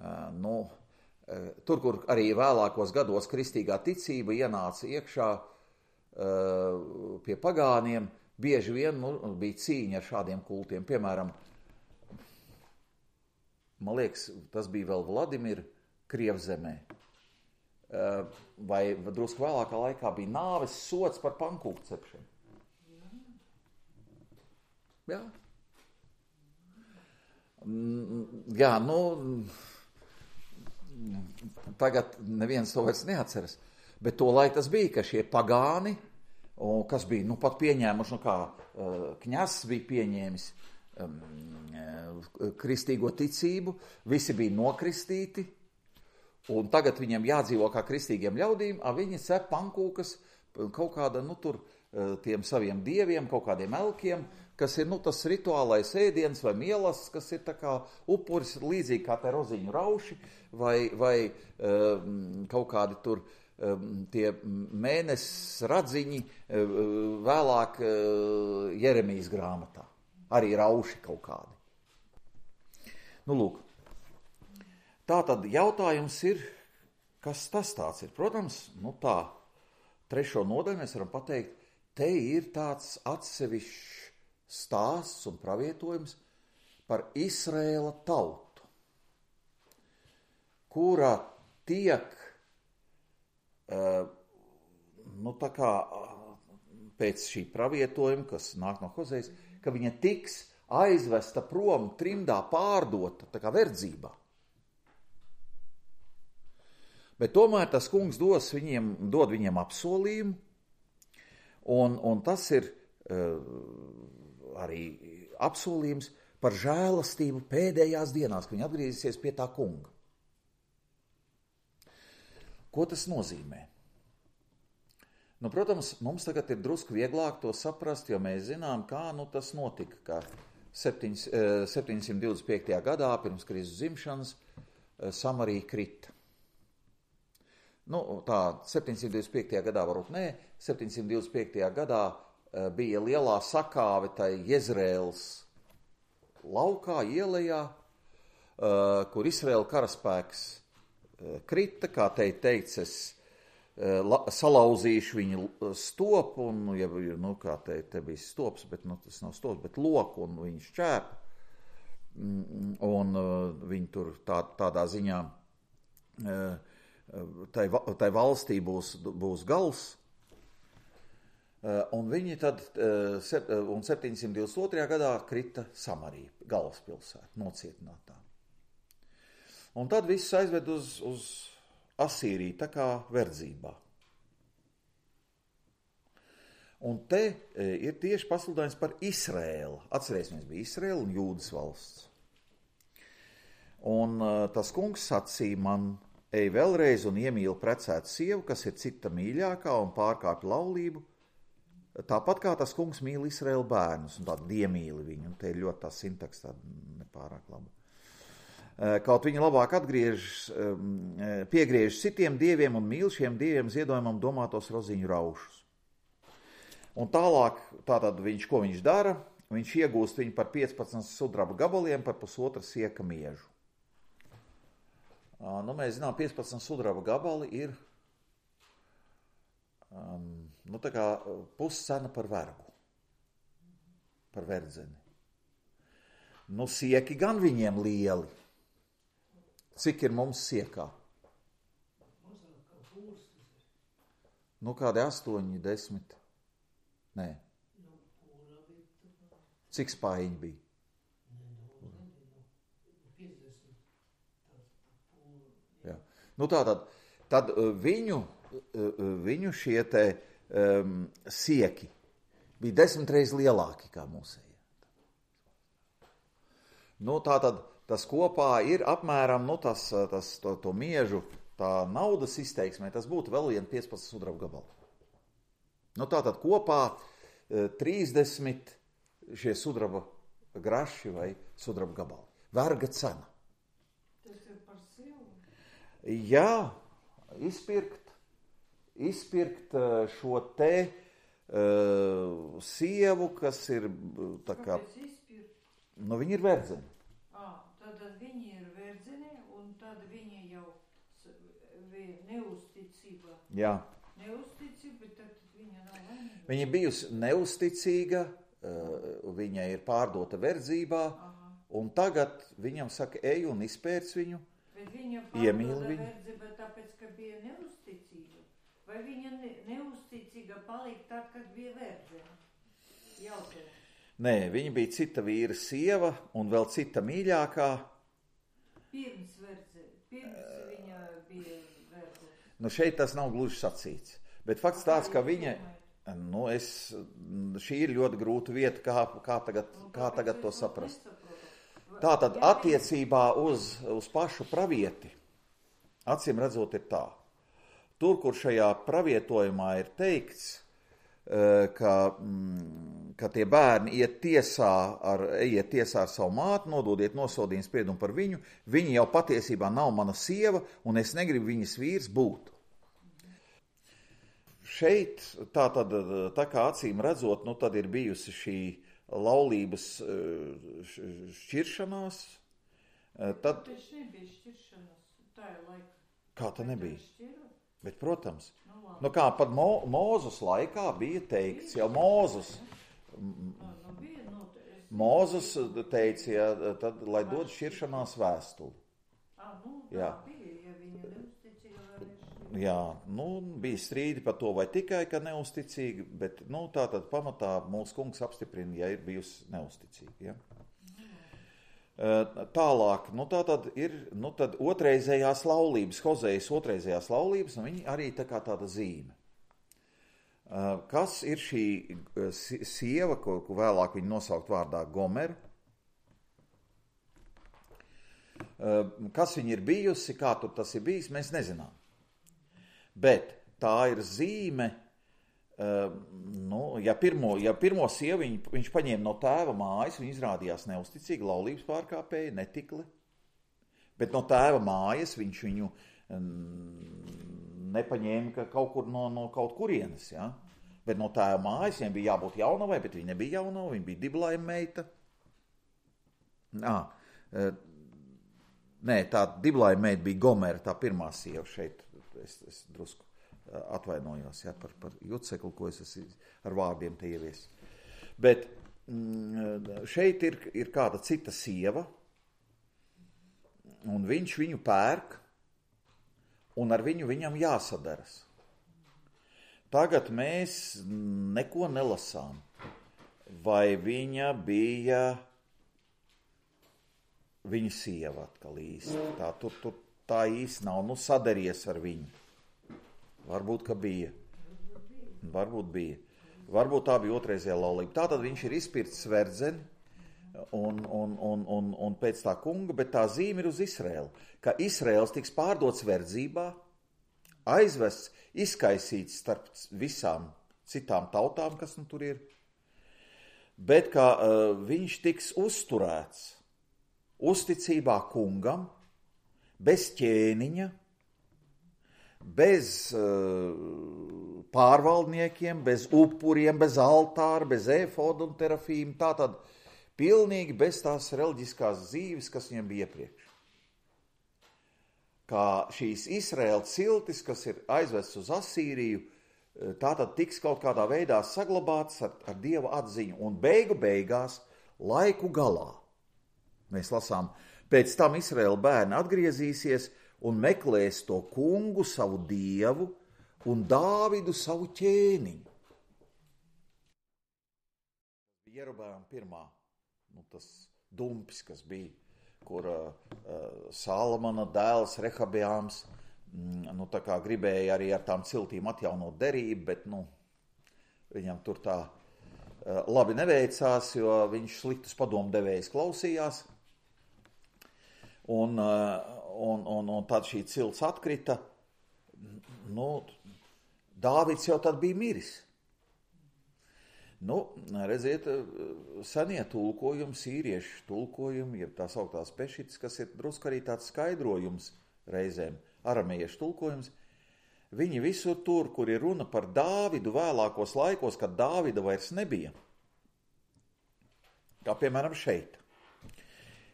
A: Uh, nu, uh, tur, kur arī vēlākos gados kristīgā ticība ienāca iekšā uh, pie pagāniem, bieži vien nu, bija cīņa ar šādiem kultiem. Piemēram, man liekas, tas bija vēl Vladimira Krievzemē. Uh, vai drusku vēlākā laikā bija nāves sods par pankūku cepšanu. Jā. Jā, nu, tagad neviens to vairs neatceras, bet to laik tas bija, ka šie pagāni, un kas bija, nu, pat pieņēmuši, nu, kā uh, Kņazs bija pieņēmis um, kristīgo ticību, visi bija nokristīti, un tagad viņiem jādzīvo kā kristīgiem ļaudīm, a viņi cep pankūkas kaut kāda, nu, tur tiem saviem dieviem, kaut kādiem elkiem, kas ir, nu, tas rituālais ēdiens vai mielas, kas ir tā kā upuris, līdzīgi kā te roziņu rauši, vai, vai um, kaut kādi tur um, tie mēnesis radziņi uh, vēlāk uh, Jeremijas grāmatā. Arī rauši kaut kādi. Nu, lūk. Tātad jautājums ir, kas tas tāds ir? Protams, nu tā, trešo nodaļu mēs varam pateikt, te ir tāds atsevišķs stāsts un pravietojums par Izraēla tautu, kurā tiek, nu tā kā pēc šī pravietojuma, kas nāk no Hozejas, ka viņa tiks aizvesta prom trimdā pārdota, tā kā verdzībā. Bet tomēr tas kungs dos viņiem, dod viņiem apsolījumu, un, un tas ir uh, arī apsolījums par žēlastību pēdējās dienās, kad viņi atgriezīsies pie tā kunga. Ko tas nozīmē? Nu, protams, mums tagad ir drusku vieglāk to saprast, jo mēs zinām, kā nu, tas notika, ka septiņsimt divdesmit piektajā gadā pirms Kristus dzimšanas Samarija krita. Nu, tā, septiņsimt divdesmit piektajā gadā varbūt nē, septiņsimt divdesmit piektajā gadā uh, bija lielā sakāve tai Jezreēlas laukā, ielejā, uh, kur Izraēla karaspēks uh, krita, kā te teicis, uh, la, salauzīšu viņu stopu, un, ja, nu, kā te, te bija stops, bet, nu, tas nav stops, bet loku, un viņš šķēpa, un uh, viņi tur tā, tādā ziņā uh, Tai, tai valstī būs, būs gals, un viņi tad, un septiņsimt divdesmit otrajā gadā krita Samarija, galvaspilsēta, nocietinātā. Un tad viss aizved uz, uz Asīriju, tā kā verdzībā. Un te ir tieši pasludinājums par Izraēlu. Atcerēsimies, bija Izraēla un Jūdas valsts. Un tas kungs sacīja man, ej vēlreiz un iemīli precētu sievu, kas ir cita mīļākā un pārkāpj laulību, tāpat kā tas kungs mīl Izraēla bērnus, un tādu iemīli viņu, un te ir ļoti tā sintaks tāda nepārāk laba. Kaut viņi labāk atgriežas, piegriežas citiem dieviem un mīl šiem dieviem ziedojumam domātos roziņu raušus. Un tālāk, tātad viņš, ko viņš dara, viņš iegūst viņu par piecpadsmit sudraba gabaliem par pusotra sieka miežu. Nu, mēs zinām, piecpadsmit sudraba gabali ir um, nu, tā kā puscena par vergu, par verdzeni. Nu, sieki gan viņiem lieli. Cik ir mums siekā? Nu, kādi astoņi, desmit? Nē. Cik spājiņi bija? Nu tātad, tad viņu, viņu šie te um, sieki bija desmit reizes lielāki kā mūsējie. Nu tātad tas kopā ir apmēram, nu tas, tas to, to miežu, tā naudas izteiksmē, tas būtu vēl vien piecpadsmit sudraba gabali. Nu tātad kopā trīsdesmit šie sudraba graši vai sudraba gabali. Verga cena.
B: Tas ir par sievu?
A: Jā, izpirkt, izpirkt šo te uh, sievu, kas ir tā kā...
B: Kāpēc izpirkt?
A: Nu, viņi ir verdzeni.
B: Ah, tad viņi ir verdzeni, un tad viņi jau neusticība.
A: Jā.
B: Neusticība, tad viņa nav laimīga.
A: Viņa bijusi neusticīga, uh, viņa ir pārdota verdzībā, aha, un tagad viņam saka, ej un izpērc viņu, iemīl viņu.
B: Verdzība tāpēc, ka bija neusticīga? Vai viņa ne, neusticīga palika tad, kad bija verdzene? Jautā.
A: Nē, viņa bija cita vīra sieva un vēl cita mīļākā.
B: Pirms verdzene, pirms viņa bija verdzene.
A: Nu šeit tas nav gluži sacīts, bet fakts tāds, ka viņa, nu es, šī ir ļoti grūta vieta, kā, kā tagad, kā tagad to saprast. Tātad attiecībā uz, uz pašu pravieti, acīm redzot ir tā. Tur, kur šajā pravietojumā ir teikts, ka, ka tie bērni iet tiesā ar, iet tiesā ar savu māti, nododiet nosodījumu spriedumu par viņu, viņi jau patiesībā nav mana sieva, un es negribu viņas vīrs būt. Šeit, tā, tad, tā kā acīm redzot, nu tad ir bijusi šī laulības šķiršanās. Tad...
B: Taču nebija šķiršanās, tā ir laika.
A: Kā tā nebija? Bet, protams, nu kā pat Mo, Mūzes laikā bija teikts, jau Mūzes, Mūzes teica, ja, tad, lai dod šķiršanās vēstuli. Jā. Jā, nu, bija strīdi par to, vai tikai, ka neusticīgi, bet, nu, tā tad pamatā mūsu kungs apstiprina, ja ir bijusi neusticīgi, ja. Tālāk, nu tā tad ir, nu tad otrreizējās laulības, Hozejas otrreizējās laulības, un viņi arī tā kā tāda zīme. Kas ir šī sieva, ko, ko vēlāk viņi nosaukt vārdā Gomer? Kas viņa ir bijusi, kā tur tas ir bijis, mēs nezinām. Bet tā ir zīme, Uh, nu, ja, pirmo, ja pirmo sievu viņ, viņš paņēma no tēva mājas, viņa izrādījās neusticīga, laulības pārkāpēja, netikli. Bet no tēva mājas viņš viņu um, nepaņēma ka kaut kur no, no kaut kurienes. Ja? Bet no tēva mājas viņai bija jābūt jaunavai, bet viņa nebija jaunava, viņa bija diblaima meita. Nā, uh, nē, tā diblaima meita bija Gomera, tā pirmā sieva šeit, es, es drusku atvainojos, ja, par, par jucekli, ko es esmu ar vārdiem te ievies. Bet mm, šeit ir, ir kāda cita sieva, un viņš viņu pērk, un ar viņu viņam jāsadaras. Tagad mēs neko nelasām, vai viņa bija viņa sieva atkal īsti. Tā, tur, tur, tā īsti nav, nu sadaries ar viņu. Varbūt, ka bija. Varbūt bija. Varbūt tā bija otrreizējā laulība. Tātad viņš ir izpircis verdzeni un, un, un, un, un pēc tā kunga, bet tā zīme ir uz Izraēlu. Ka Izraēls tiks pārdots verdzībā, aizvests, izkaisīts starp visām citām tautām, kas nu tur ir, bet ka uh, viņš tiks uzturēts uzticībā kungam, bez ķēniņa, bez uh, pārvaldniekiem, bez upuriem, bez altāra, bez efoda un terafīm, tātad pilnīgi bez tās reliģiskās dzīves, kas viņam bija iepriekš. Kā šīs Izraēla ciltis, kas ir aizvests uz Asīriju, tātad tiks kaut kādā veidā saglabāts ar, ar Dieva atziņu, un beigu beigās laiku galā. Mēs lasām, pēc tam Izraēla bērni atgriezīsies un meklēs to kungu, savu dievu, un Dāvidu savu ķēniņu. Jerobēam pirmā, nu tas dumpis, kas bija, kur uh, Salamana dēls Rehabjāms nu, tā kā gribēja arī ar tām ciltīm atjaunot derību, bet, nu, viņam tur tā labi neveicās, jo viņš sliktus padomdevējus klausījās. Un, un, un, un tad šī cilts atkrita. Nu, Dāvids jau tad bija miris. Nu, redziet, senie tulkojumi, sīriešu tulkojumi, jeb tās augtās pešitas, kas ir drusku arī tāds skaidrojums reizēm, aramiešu tulkojums, viņi visur tur, kur ir runa par Dāvidu vēlākos laikos, kad Dāvida vairs nebija. Kā piemēram šeit.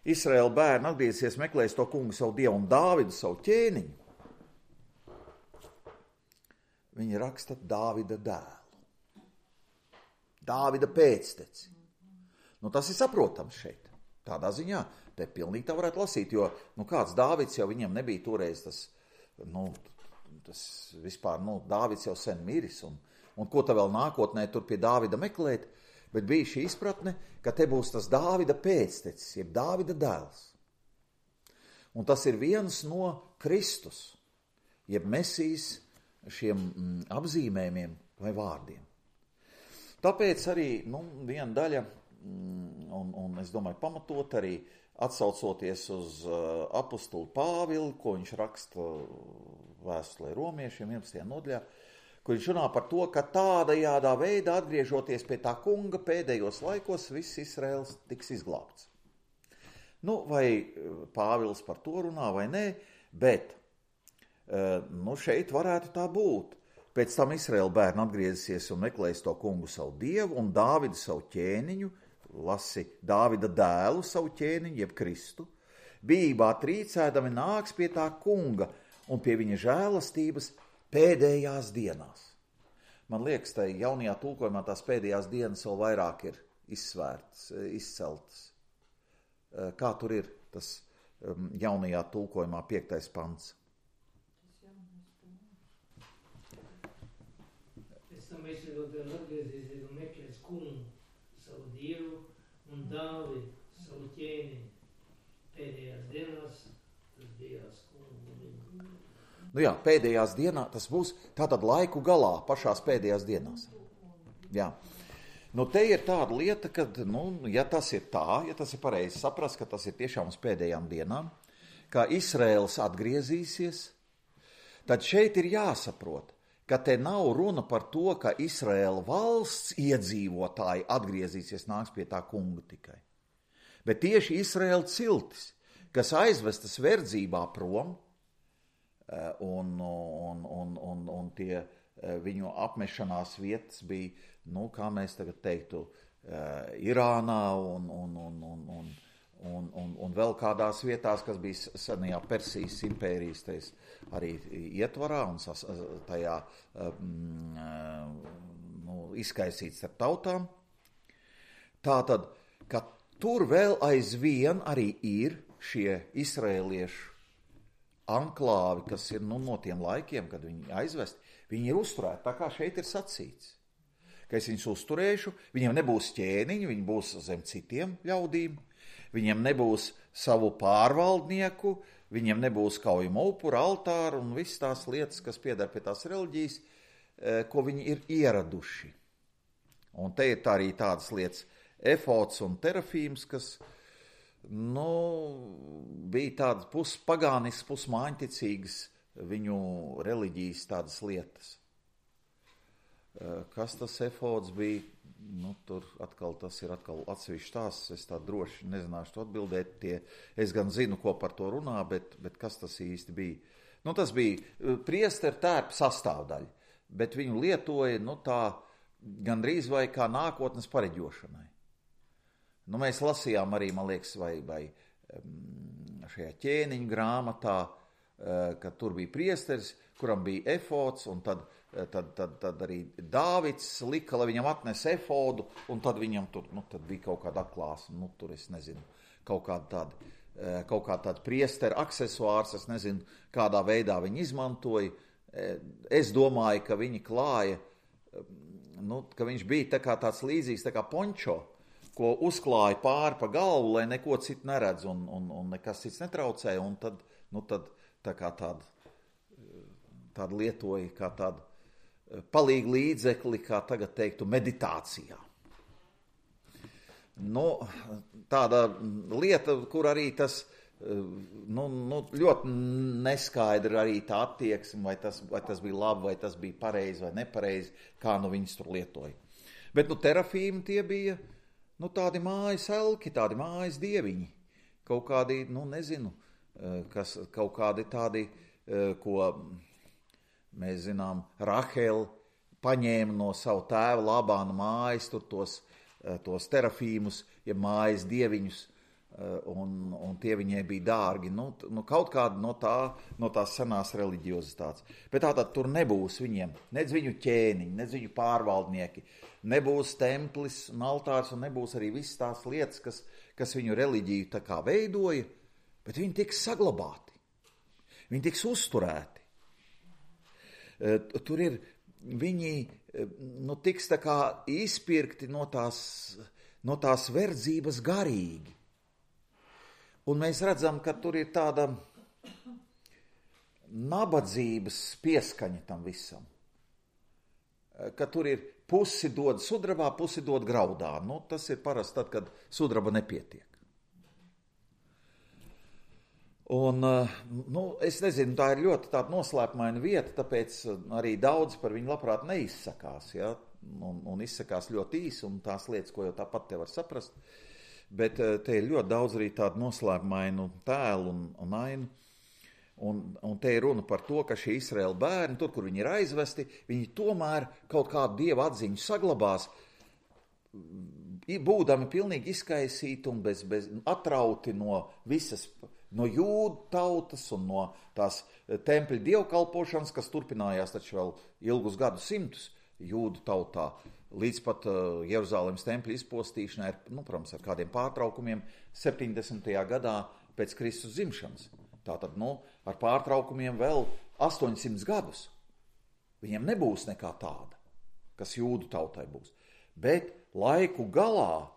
A: Izraēla bērni atgriezies, meklēs to kungu savu dievu un Dāvidu savu ķēniņu. Viņi raksta Dāvida dēlu. Dāvida pēcteci. Nu, tas ir saprotams šeit. Tādā ziņā te pilnīgi tā varētu lasīt, jo nu, kāds Dāvids jau viņam nebija toreiz tas, nu, tas vispār, nu, Dāvids jau sen miris, un, un ko tā vēl nākotnē tur pie Dāvida meklēt, bet bija šī izpratne, ka te būs tas Dāvida pēctecis, jeb Dāvida dēls. Un tas ir viens no Kristus, jeb Mesijas šiem mm, apzīmējumiem vai vārdiem. Tāpēc arī nu, viena daļa, mm, un, un es domāju pamatot arī atsaucoties uz uh, apostulu Pāvilu, ko viņš raksta vēstulē romiešiem vienpadsmitajā nodaļā, kur viņš runā par to, ka tādajādā veidā atgriežoties pie tā kunga pēdējos laikos, viss Izraels tiks izglābts. Nu, vai Pāvils par to runā vai nē, bet nu, šeit varētu tā būt. Pēc tam Izraēla bērni atgriezīsies un meklēs to kungu savu dievu un Dāvidu savu ķēniņu, lasi Dāvida dēlu savu ķēniņu, jeb Kristu, bijībā trīcēdami nāks pie tā kunga un pie viņa žēlastības pēdējās dienās. Man liekas, tai jaunajā tulkojumā tās pēdējās dienas vēl vairāk ir izsvērtas, izceltas. Kā tur ir tas jaunajā tulkojumā piektais pants?
C: Mēs vēl gan atgriezīsies un meklēs kungu savu dievu un Dāvidu savu ķēniņu. Pēdējās dienās tas bijās kungu.
A: Nu jā, pēdējās dienās tas būs tātad laiku galā, pašās pēdējās dienās. Jā. Nu te ir tāda lieta, ka, nu, ja tas ir tā, ja tas ir pareizi saprast, ka tas ir tiešām uz pēdējām dienām, kā Izraēls atgriezīsies, tad šeit ir jāsaprot, ka te nav runa par to, ka Izraēla valsts iedzīvotāji atgriezīsies, nāks pie tā kunga tikai. Bet tieši Izraēla ciltis, kas aizvestas verdzībā prom, un, un, un, un, un tie viņu apmešanās vietas bija, nu, kā mēs tagad teiktu, Irānā un, un, un, un, un, un, un, un vēl kādās vietās, kas bija senajā Persijas impērijas tais, arī ietvarā un sas, tajā um, nu, izkaisīts ar tautām. Tātad, ka tur vēl aizvien arī ir šie izraēliešu anklāvi, kas ir nu, no tiem laikiem, kad viņi aizvesti, viņi ir uzturēti, tā kā šeit ir sacīts. Ka es viņus uzturēšu, viņiem nebūs ķēniņi, viņi būs zem citiem ļaudīm, viņiem nebūs savu pārvaldnieku, viņiem nebūs kaujuma upura, altāru un visas tās lietas, kas pieder pie tās reliģijas, ko viņi ir ieraduši. Un te ir tā arī tādas lietas, efods un terafīms, kas nu, bija tādas puspagāniskas, pusmāņticīgas viņu reliģijas tādas lietas. Kas tas efods bija? Nu, tur atkal tas ir atkal atsevišķs stāsts, es tā droši nezināšu to atbildēt. Tie, es gan zinu, ko par to runā, bet, bet kas tas īsti bija? Nu, tas bija priesteru tērpa sastāvdaļa, bet viņu lietoja nu, tā gandrīz vai kā nākotnes pareģošanai. Nu, mēs lasījām arī, man liekas, vai, vai šajā ķēniņu grāmatā, ka tur bija priesteris, kuram bija efods, un tad, tad, tad, tad arī Dāvids lika, lai viņam atnes efodu, un tad viņam tur, nu, tad bija kaut kāda atklāsme, nu, tur es nezinu, kaut kāda tāda, kaut kāda tāda priestera aksesuārs, es nezinu, kādā veidā viņi izmantoja. Es domāju, ka viņi klāja, nu, ka viņš bija tā kā tāds līdzīgs, tā kā pončo, ko uzklāja pāri pa galvu, lai neko citu neredz un, un, un nekas cits netraucēja, un tad, nu, tad tā kā tāda tādu lietoja kā tādu palīgu līdzekli, kā tagad teiktu, meditācijā. Nu, tāda lieta, kur arī tas nu, nu, ļoti neskaidra arī tā attieksme, vai tas, vai tas bija labi, vai tas bija pareizi vai nepareizi, kā nu viņas tur lietoja. Bet nu, terafīmi tie bija nu, tādi mājas elki, tādi mājas dieviņi, kaut kādi, nu nezinu, kas, kaut kādi tādi, ko mēs zinām, Rahela paņēma no savu tēva Labāna mājas, tur tos, tos terafīmus, ja mājas dieviņus, un, un tie viņai bija dārgi. Nu, nu, kaut kāda no, tā, no tās senās reliģiozitātes. Bet tātad tur nebūs viņiem, nedz viņu ķēniņi, nedz viņu pārvaldnieki, nebūs templis un altārs, un nebūs arī visas tās lietas, kas, kas viņu reliģiju tā kā veidoja, bet viņi tiks saglabāti, viņi tiks uzturēti. Tur ir, viņi nu, tiks tā kā izpirkti no tās, no tās verdzības garīgi. Un mēs redzam, ka tur ir tāda nabadzības pieskaņa tam visam. Ka tur ir pusi dod sudrabā, pusi dod graudā. Nu, tas ir parasti tad, kad sudraba nepietiek. Un, nu, es nezinu, tā ir ļoti tāda noslēpumaina vieta, tāpēc arī daudz par viņu labprāt neizsakās, ja? un, un izsakās ļoti īsi, un tās lietas, ko jau tāpat te var saprast. Bet te ir ļoti daudz arī tādu noslēpumainu tēlu un, un ainu. Un, un te ir runa par to, ka šie Izraēla bērni, tur, kur viņi ir aizvesti, viņi tomēr kaut kādu dieva atziņu saglabās, būdami pilnīgi izkaisīti un bez, bez atrauti no visas, no jūdu tautas un no tās tempļa dievkalpošanas, kas turpinājās taču vēl ilgus gadu simtus jūdu tautā, līdz pat uh, Jeruzālemes tempļa izpostīšanai, nu, protams, ar kādiem pārtraukumiem septiņdesmitajā gadā pēc Kristus dzimšanas. Tātad, nu, ar pārtraukumiem vēl astoņsimt gadus. Viņiem nebūs nekā tāda, kas jūdu tautai būs. Bet laiku galā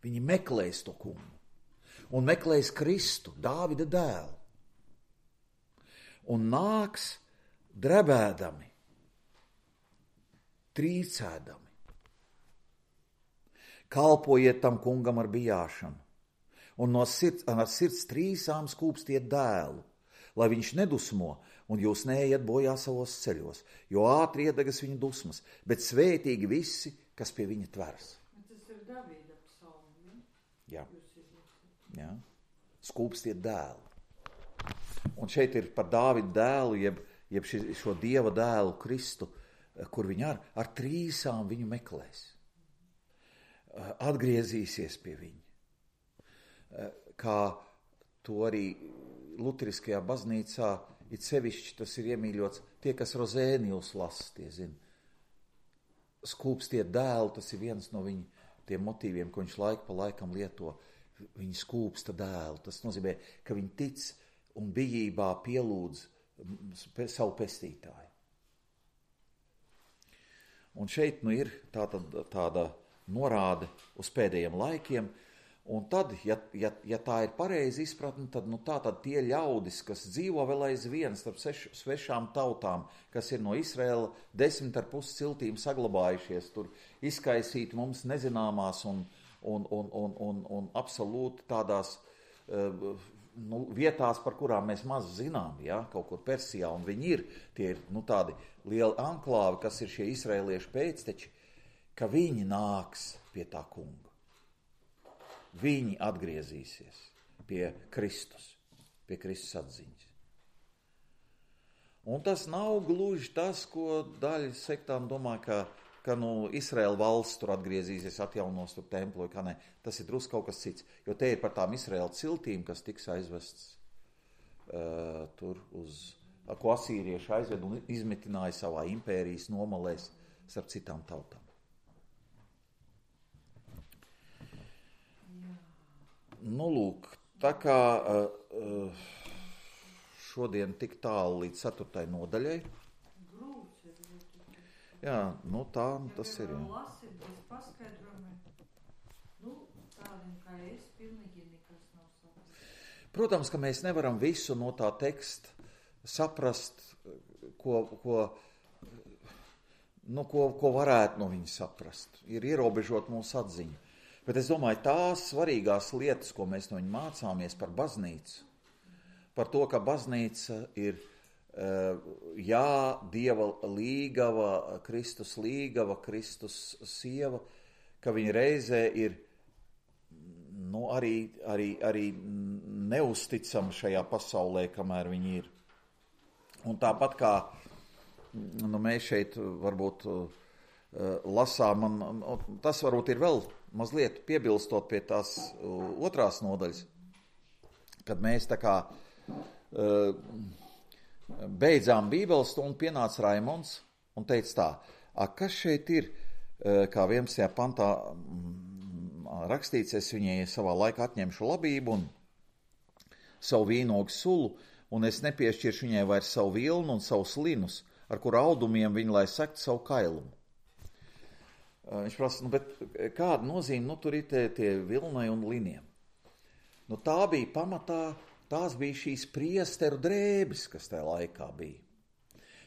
A: viņi meklēs to kungu. Un meklēs Kristu, Dāvida dēlu. Un nāks drebēdami, trīcēdami. Kalpojiet tam kungam ar bijāšanu, un no sirds, ar sirds trīsām skūpstiet dēlu, lai viņš nedusmo, un jūs neejat bojā savos ceļos, jo ātri iedegas viņa dusmas, bet svētīgi visi, kas pie viņa tvers.
B: Tas ir Davida psalmi, ne?
A: Jā. Jā. Skūpstiet dēlu. Un šeit ir par Dāvida dēlu, jeb, jeb ši, šo dieva dēlu Kristu, kur viņi ar, ar trīsām viņu meklēs. Atgriezīsies pie viņa. Kā to arī luteriskajā baznīcā, it sevišķi tas ir iemīļots, tie, kas Rozēnijus lasa, tie zina. Skūpstiet dēlu, tas ir viens no viņa tiem motīviem, ko viņš laiku pa laikam lieto. Viņi skūpsta dēlu, tas nozīmē, ka viņi tic un bijībā pielūdz savu pestītāju. Un šeit nu ir tāda, tāda norāde uz pēdējiem laikiem, un tad, ja, ja, ja tā ir pareizi izpratne, tad nu tā tad tie ļaudis, kas dzīvo vēl aizvien starp seš, svešām tautām, kas ir no Izraēla desmit ar pus ciltīm saglabājušies, tur izkaisīt mums nezināmās un, un, un, un, un, un absolūti tādās uh, nu, vietās, par kurām mēs maz zinām, ja, kaut kur Persijā, un viņi ir, tie ir nu, tādi lieli anklāvi, kas ir šie izraēliešu pēcteči, ka viņi nāks pie tā kunga. Viņi atgriezīsies pie Kristus, pie Kristus atziņas. Un tas nav gluži tas, ko daļa sektām domā, ka, ka nu, Izraēla valsts tur atgriezīsies, atjaunos tur templu, kā ne. Tas ir drusku kaut kas cits, jo te ir par tām Izraēla ciltīm, kas tiks aizvests uh, tur uz, ko asīrieši aizved un izmitināja savā impērijas nomalēs starp citām tautām. Nu, lūk, tā kā uh, šodien tik tālu līdz ceturtai nodaļai.
B: Grūts ir.
A: Jā, nu tā tas ir. Jā.
B: Lasīt bez paskaidrojumiem. Nu, tādiem kā es, pilnīgi nekas nav saprast.
A: Protams, ka mēs nevaram visu no tā teksta saprast ko, ko, nu, ko, ko varētu no viņa saprast. Ir ierobežot mūsu atziņu. Bet es domāju, tās svarīgās lietas, ko mēs no viņa mācāmies par baznīcu, par to, ka baznīca ir jā, Dieva līgava, Kristus līgava, Kristus sieva, ka viņa reizē ir nu, arī, arī, arī neusticama šajā pasaulē, kamēr viņa ir. Un tāpat kā nu, mēs šeit varbūt lasām, man, tas varbūt ir vēl mazliet piebilstot pie tās otrās nodaļas, kad mēs tā kā beidzām Bībeles stundu, pienāca Raimonds un teica tā, a, kas šeit ir, kā vienpadsmitajā pantā rakstīts, es viņai savā laikā atņemšu labību un savu vīnogu sulu, un es nepiešķiršu viņai vairs savu vilnu un savus linus, ar kuru audumiem viņa lai sektu savu kailumu. Viņš prasa, nu, bet kāda nozīme, nu, tur ir tie, tie vilnai un liniem? Nu, tā bija pamatā, tās bija šīs priesteru drēbes, kas tajā laikā bija.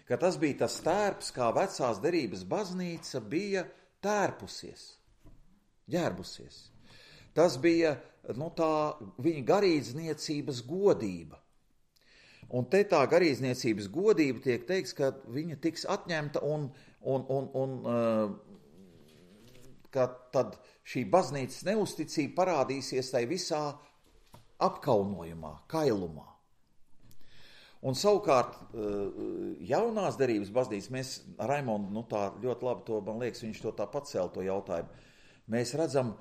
A: Ka tas bija tas tērps, kā vecās derības baznīca bija tērpusies, ģērbusies. Tas bija, nu, tā viņa garīdzniecības godība. Un te tā garīdzniecības godība tiek teiks, ka viņa tiks atņemta un, un, un, un uh, ka tad šī baznīcas neusticība parādīsies tai visā apkaunojumā, kailumā. Un savukārt jaunās derības baznīcas, mēs, Raimondu, nu tā ļoti labi to, man liekas, viņš to tā pacēla to jautājumu, mēs redzam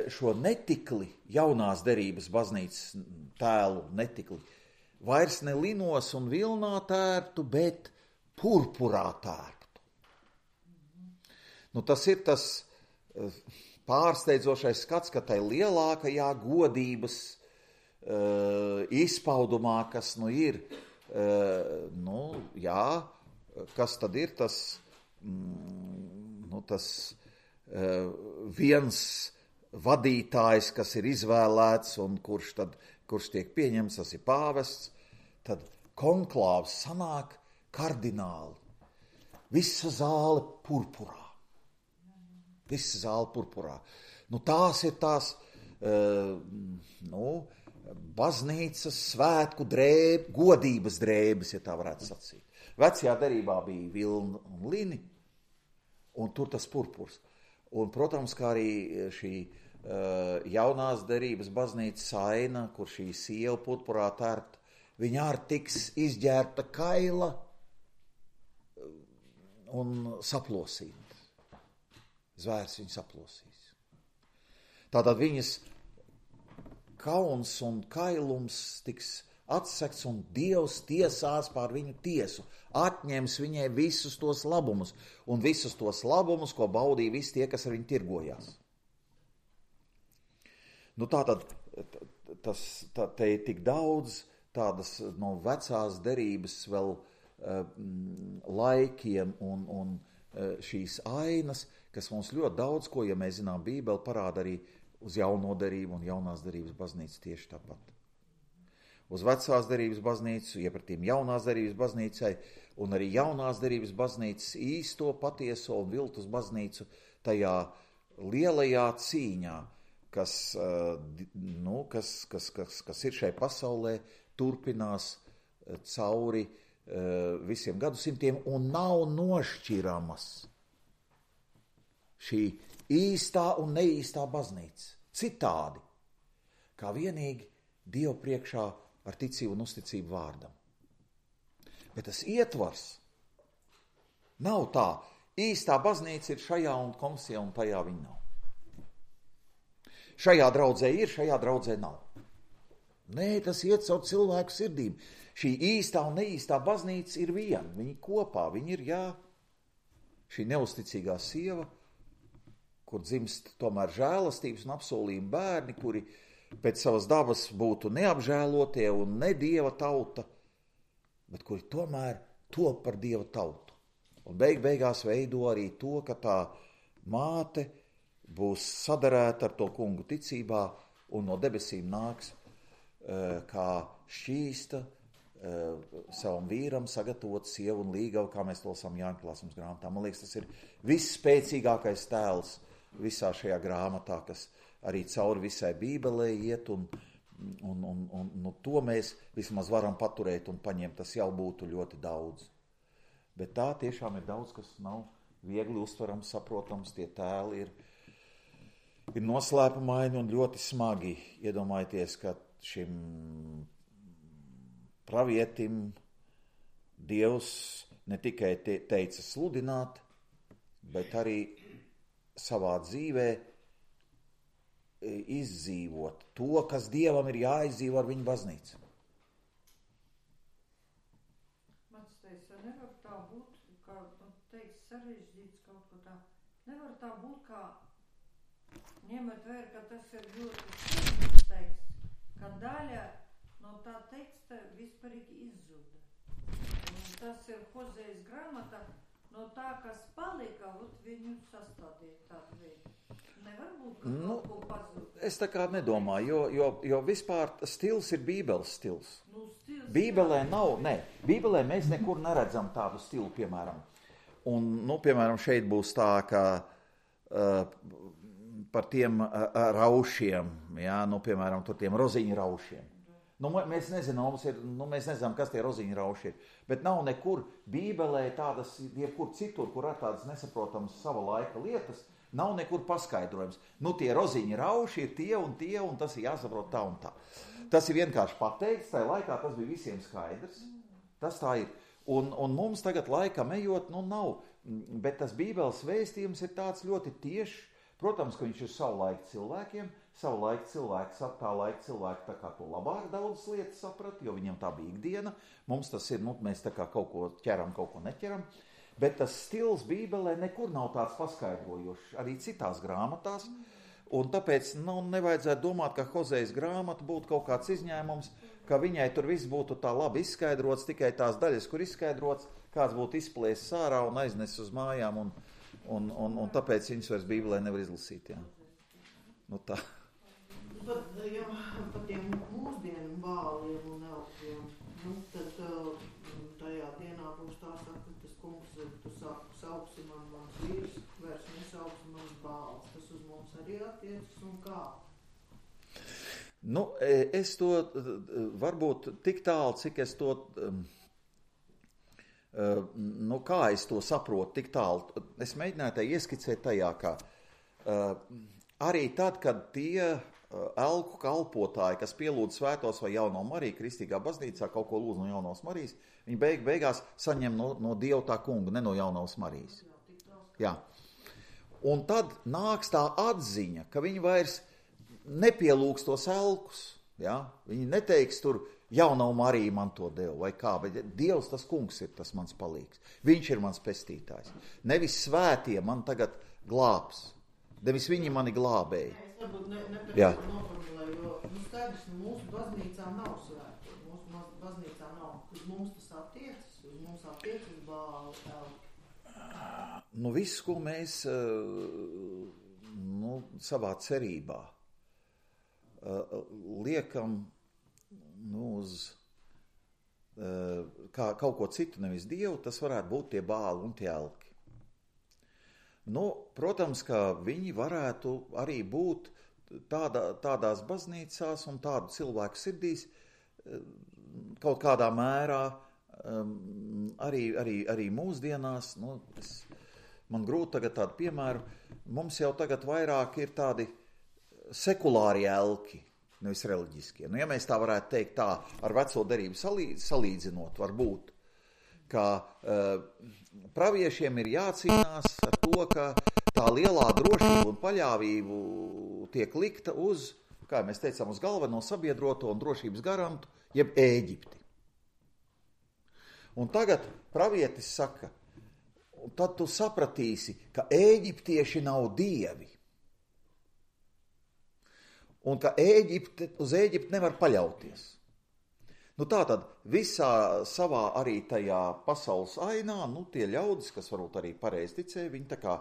A: šo netikli, jaunās derības baznīcas tēlu netikli, vairs ne linos un vilnā tērptu, bet purpurā tērptu. Nu tas ir tas pārsteidzošais skats, ka tai lielākajā godības uh, izpaudumā, kas nu ir, uh, nu jā, kas tad ir tas, mm, nu tas uh, viens vadītājs, kas ir izvēlēts un kurš tad, kurš tiek pieņemts, tas ir pāvests, tad konklāvs sanāk kardināli. Visa zāle purpurā. Visa zāle purpurā. Nu, tās ir tās uh, nu, baznīcas svētku drēb, godības drēbes, ja tā varētu sacīt. Vecajā derībā bija vilna un lini, un tur tas purpurs. Un, protams, kā arī šī uh, jaunās derības baznīcas aina, kur šī siela purpurā tērpta, viņa arī tiks izģērbta kaila un saplosīta. Zvērs viņu saplosīs. Tātad viņas kauns un kailums tiks atsekts un Dievs tiesās pār viņu tiesu. Atņems viņai visus tos labumus un visus tos labumus, ko baudīja visi tie, kas ar viņu tirgojās. Nu tātad tas, tā, te ir tik daudz tādas no vecās derības vēl uh, laikiem un, un uh, šīs ainas, kas mums ļoti daudz, ko, ja mēs zinām Bībeli, parāda arī uz jauno derību un jaunās derības baznīcu tieši tāpat. Uz vecās derības baznīcu, iepratīm jaunās derības baznīcai, un arī jaunās derības baznīcas īsto, patieso un viltus baznīcu tajā lielajā cīņā, kas, nu, kas, kas, kas, kas ir šai pasaulē, turpinās cauri visiem gadsimtiem un nav nošķiramas. Šī īstā un neīstā baznīca. Citādi, kā vienīgi Dievu priekšā ar ticību un uzticību vārdam. Bet tas ietvars nav tā. Īstā baznīca ir šajā un komisijā un tajā viņa nav. Šajā draudzē ir, šajā draudzē nav. Nē, tas iet caur cilvēku sirdīm. Šī īstā un neīstā baznīca ir viena. Viņi kopā, viņi ir, jā, šī neusticīgā sieva, kur dzimst tomēr žēlastības un apsolījuma bērni, kuri pēc savas dabas būtu neapžēlotie un ne Dieva tauta, bet kuri tomēr top par Dieva tautu. Un beig beigās veido arī to, ka tā māte būs sadarēta ar to kungu ticībā un no debesīm nāks kā šķīsta savam vīram sagatavot sievu un līgavu, kā mēs to lasām Jāņa Klāsums grāmatā. Man liekas, tas ir visspēcīgākais tēls visā šajā grāmatā, kas arī cauri visai Bībelē iet, un, un, un, un nu, to mēs vismaz varam paturēt un paņemt. Tas jau būtu ļoti daudz. Bet tā tiešām ir daudz, kas nav viegli uztverams, saprotams, tie tēli ir, ir noslēpumaini un ļoti smagi. Iedomājieties, ka šim pravietim Dievs ne tikai te, teica sludināt, bet arī savā dzīvē izdzīvot to, kas Dievam ir jāizdzīvo ar viņu baznīcu.
B: Mans teica, nevar tā būt, kā teica, sarežģīts kaut ko tā. Nevar tā būt, kā ņemat vēr, ka tas ir ļoti svarīgs teksts, ka daļa no tā teksta vispārīgi izzuda. Un tas ir Hozejas grāmata, no tā, kas palika, ot viņu sastādīja tādu veidu. Nevar būt, ka nu, kaut ko pazūd.
A: Es tā kā nedomāju, jo, jo, jo vispār stils ir Bībeles stils.
B: Nu, stils
A: Bībelē nav, ne, Bībelē mēs nekur neredzam tādu stilu, piemēram. Un, nu, piemēram, šeit būs tā, ka uh, par tiem uh, raušiem, jā, nu, piemēram, tur tiem roziņu raušiem. Nu, mēs nezinām, ir, nu, mēs nezinām, kas tie roziņu rauši ir, bet nav nekur Bībelē tādas, jebkur citur, kur ir tādas nesaprotamas sava laika lietas, nav nekur paskaidrojums. Nu, tie roziņu rauši ir tie un tie, un tas ir jāsaprot tā un tā. Tas ir vienkārši pateikts, tajā laikā tas bija visiem skaidrs, tas tā ir. Un, un mums tagad laikam ejot, nu, nav, bet tas Bībeles vēstījums ir tāds ļoti tiešs. Protams, ka viņš ir savu laiku cilvēkiem, savu laiku cilvēks, tā laika cilvēki tā kā to labāk daudz lietas saprat, jo viņam tā bija ikdiena. Mums tas ir, nu, mēs tā kā kaut ko ķeram, kaut ko neķeram. Bet tas stils Bībelē nekur nav tāds paskaidrojošs, arī citās grāmatās. Un tāpēc, nu, nevajadzētu domāt, ka Hozejas grāmata būtu kaut kāds izņēmums, ka viņai tur viss būtu tā labi izskaidrots, tikai tās daļas, kur izskaidrots, kāds būtu izplēsis ārā un aiznesis uz mājām, un, un, un, un tāpēc viņas vairs Bībelē nevar izlasīt. Jā. Nu tā.
D: Pat, ja, pat tiem mūsdienu bāliem un elkiem, nu, tad tajā dienā būs tā saka, ka tas kungs, tu sauksi man mans vīrs, vairs nesauksi mans bāls. Tas uz mums arī attiecas un kā?
A: Nu, es to varbūt tik tālu, cik es to, nu, kā es to saprotu, tik tālu. Es mēģināju tā ieskicēt tajā, ka arī tad, kad tie elku kalpotāji, kas pielūdz svētos vai jauno Mariju kristīgā baznīcā, kaut ko lūdz no jaunos Marijas, viņi beig, beigās saņem no, no Dieva tā kunga, ne no jaunos Marijas. Jā. Un tad nāks tā atziņa, ka viņi vairs nepielūgs tos elkus. Ja? Viņi neteiks tur, jauno Mariju man to deva vai kā, bet Dievs tas kungs ir tas mans palīgs. Viņš ir mans pestītājs. Nevis svētie man tagad glābs. Nevis viņi mani glābēja.
D: Es varbūt ne, nepareizi noformulēju, jo nu, skaidrs, mūsu baznīcā nav svēto. Mūsu baznīcā nav. Uz mums tas attiecas, uz mums attiecas bāli, elki.
A: Nu, viss, ko mēs nu, savā cerībā liekam nu, uz kā, kaut ko citu, nevis Dievu, tas varētu būt tie bāli un tie elki. Nu, protams, ka viņi varētu arī būt tādā, tādās baznīcās un tādu cilvēku sirdīs kaut kādā mērā arī, arī, arī mūsdienās. Nu, es, man grūti tagad tādu piemēru. Mums jau tagad vairāk ir tādi sekulāri elki, nevis reliģiskie. Nu, ja mēs tā varētu teikt tā ar veco derību salīdz, salīdzinot, varbūt, ka uh, praviešiem ir jācīnās ar to, ka tā lielā drošība un paļāvību tiek likta uz, kā mēs teicām, uz galveno sabiedroto un drošības garantu, jeb Ēģipti. Un tagad pravietis saka, un tad tu sapratīsi, ka Ēģiptieši nav dievi. Un ka Ēģipte, uz Ēģipti nevar paļauties. Nu tātad visā savā arī tajā pasaules ainā, nu tie ļaudis, kas varbūt arī pareizi ticēja, viņi tā kā,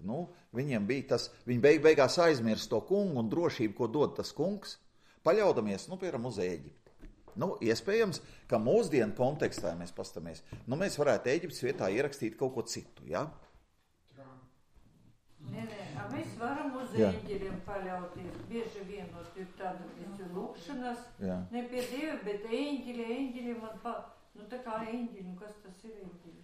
A: nu, viņiem bija tas, viņi beig beigās aizmirst to kungu un drošību, ko dod tas kungs, paļaudamies, nu, piemēram, uz Ēģipti. Nu, iespējams, ka mūsdienu kontekstā mēs pastamies, nu, mēs varētu Ēģiptes vietā ierakstīt kaut ko citu, jā?
B: Nē, nē, mēs varam uz
A: Jā.
B: eņģeļiem paļauties. Bieži vienot ir tāda visu lūkšanas,
A: Jā.
B: ne pie Dieva, bet eņģeļi, eņģeļi man pa... Nu, tā kā eņģeļi, nu, kas tas ir eņģeļi?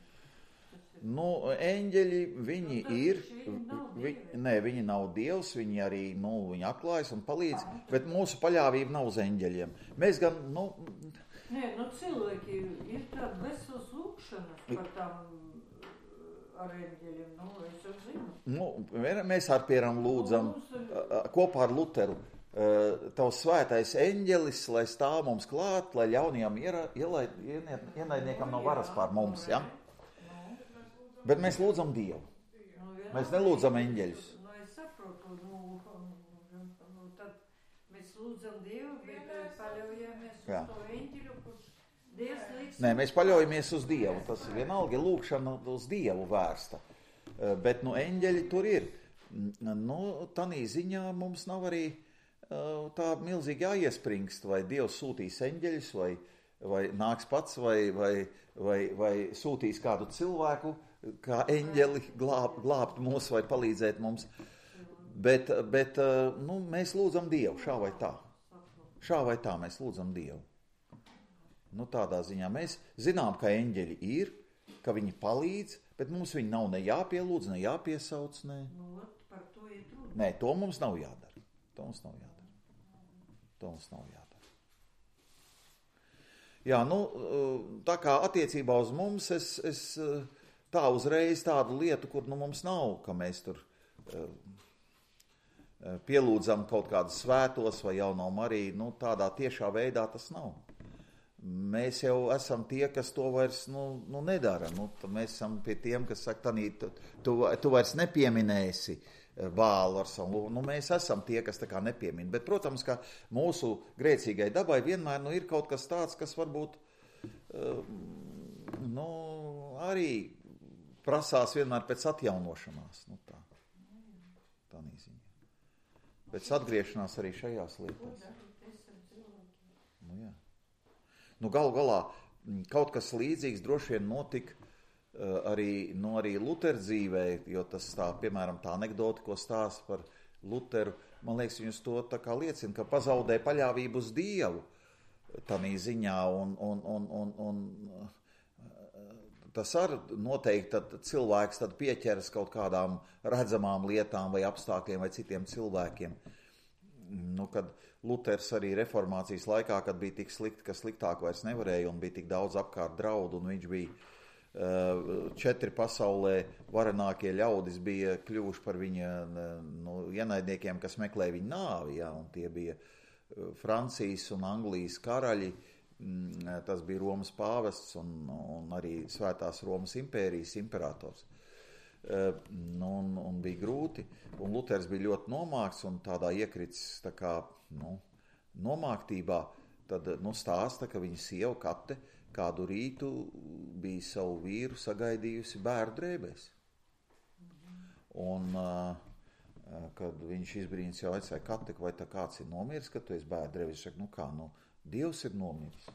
B: Tas ir...
A: Nu, eņģeļi, viņi
B: Nu, tas
A: ir,
B: taču viņi nav
A: vi,
B: dievi.
A: nē, viņi nav dievs, viņi arī, nu, viņi atklājas un palīdz, bet mūsu paļāvība nav uz eņģeļiem. Mēs gan, nu,
B: Nē, nu, cilvēki ir tāda veselas lūkšanas par tām ar eņģeļiem, nu, es jau zinu.
A: nu, mēs ar pieram lūdzam a, a, kopā ar Luteru. Uh, tavs svētais eņģelis, lai stāv mums klāt, lai ļaunajam iera- ielaid- ieniet- ienaidniekam nav varas pār mums, ja? Bet mēs lūdzam Dievu.
B: Nu,
A: Mēs nelūdzam eņģeļus.
B: Nu, es saprotu, nu, nu, tad mēs lūdzam Dievu, bet eh, paļaujamies uz
A: Jā.
B: to eņģeļu, kurš Dievs liks.
A: Nē, mēs paļaujamies uz Dievu. Tas vienalga ir lūkšana uz Dievu vērsta. Uh, bet, nu, eņģeļi tur ir. Mm, Nu, tanī ziņā mums nav arī uh, tā milzīgi jāiespringst, vai Dievs sūtīs eņģeļus, vai, vai nāks pats, vai, vai, vai, vai sūtīs kādu cilvēku, kā eņģeli glāb, glābt mūs vai palīdzēt mums. Bet, bet uh, nu, mēs lūdzam Dievu, šā vai tā. Šā vai tā mēs lūdzam Dievu. Nu, tādā ziņā mēs zinām, ka eņģeļi ir, ka viņi palīdz, bet mums viņi nav ne jāpielūdz, ne jāpiesauc, ne.
B: Nu, ot, par to ir runa.
A: Nē, to mums nav jādara. To mums nav jādara. To mums nav jādara. Jā, nu, tā kā attiecībā uz mums, es, es tā uzreiz tādu lietu, kur nu mums nav, ka mēs tur pielūdzam kaut kādus svētos vai Jauno Mariju, nu, tādā tiešā veidā tas nav. Mēs jau esam tie, kas to vairs nu, nu, nedara. Nu, mēs esam pie tiem, kas saka, Tanī, tu, tu, tu vairs nepieminēsi Bālu ar savu lūgu. Nu, mēs esam tie, kas tā kā nepiemin. Bet, protams, ka mūsu grēcīgai dabai vienmēr nu, ir kaut kas tāds, kas varbūt uh, nu, arī prasās vienmēr pēc atjaunošanās. Nu, tā. Tanī ziņā. Pēc atgriešanās arī šajās lietās. Nu, jā. Nu, galu galā kaut kas līdzīgs droši vien notika uh, arī, nu, arī Luteru dzīvē, jo tas tā, piemēram, tā anekdota, ko stāsta par Luteru, man liekas, viņus to tā kā liecina, ka pazaudē paļāvību uz Dievu tanī ziņā, un, un, un, un, un uh, tas ar noteikti tad cilvēks tad pieķeras kaut kādām redzamām lietām vai apstākļiem vai citiem cilvēkiem. Nu, kad Luters arī reformācijas laikā, kad bija tik slikti, ka sliktāk vairs nevarēja un bija tik daudz apkārt draudu, un viņš bija uh, četri pasaulē varenākie ļaudis bija kļuvuši par viņa nu, ienaidniekiem, kas meklē viņa nāvi, ja, un tie bija uh, Francijas un Anglijas karaļi, mm, tas bija Romas pāvests un, un arī Svētās Romas impērijas imperators. Uh, un, un bija grūti, un Luters bija ļoti nomākts un tādā iekritis tā kā, nu, nomāktībā, tad nu, stāsta, ka viņa sieva Kate kādu rītu bija savu vīru sagaidījusi bērnu drēbēs. Un, uh, kad viņš izbrīns jau aicāja Kate, vai tā kāds ir nomiris, kad tu esi bērnu drēbēs, viņš saka, nu kā, nu, Dievs ir nomiris.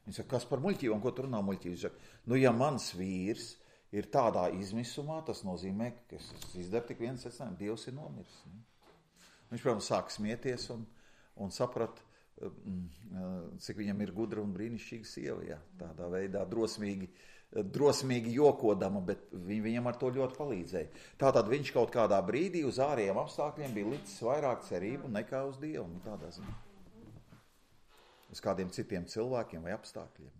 A: Viņš saka, kas par muļķībām, ko tu runā muļķības? Viņš saka, nu, ja mans vīrs ir tādā izmisumā, tas nozīmē, ka es izdaru tik viens secinājumu, Dievs ir nomiris. Viņš, protams, sāk smieties un, un saprat, cik viņam ir gudra un brīnišķīga sieva, jā, tādā veidā drosmīgi, drosmīgi jokodama, bet viņ, viņam ar to ļoti palīdzēja. Tātad viņš kaut kādā brīdī uz ārējiem apstākļiem bija licis vairāk cerību nekā uz Dievu, nu tādā ziņā. Uz kādiem citiem cilvēkiem vai apstākļiem.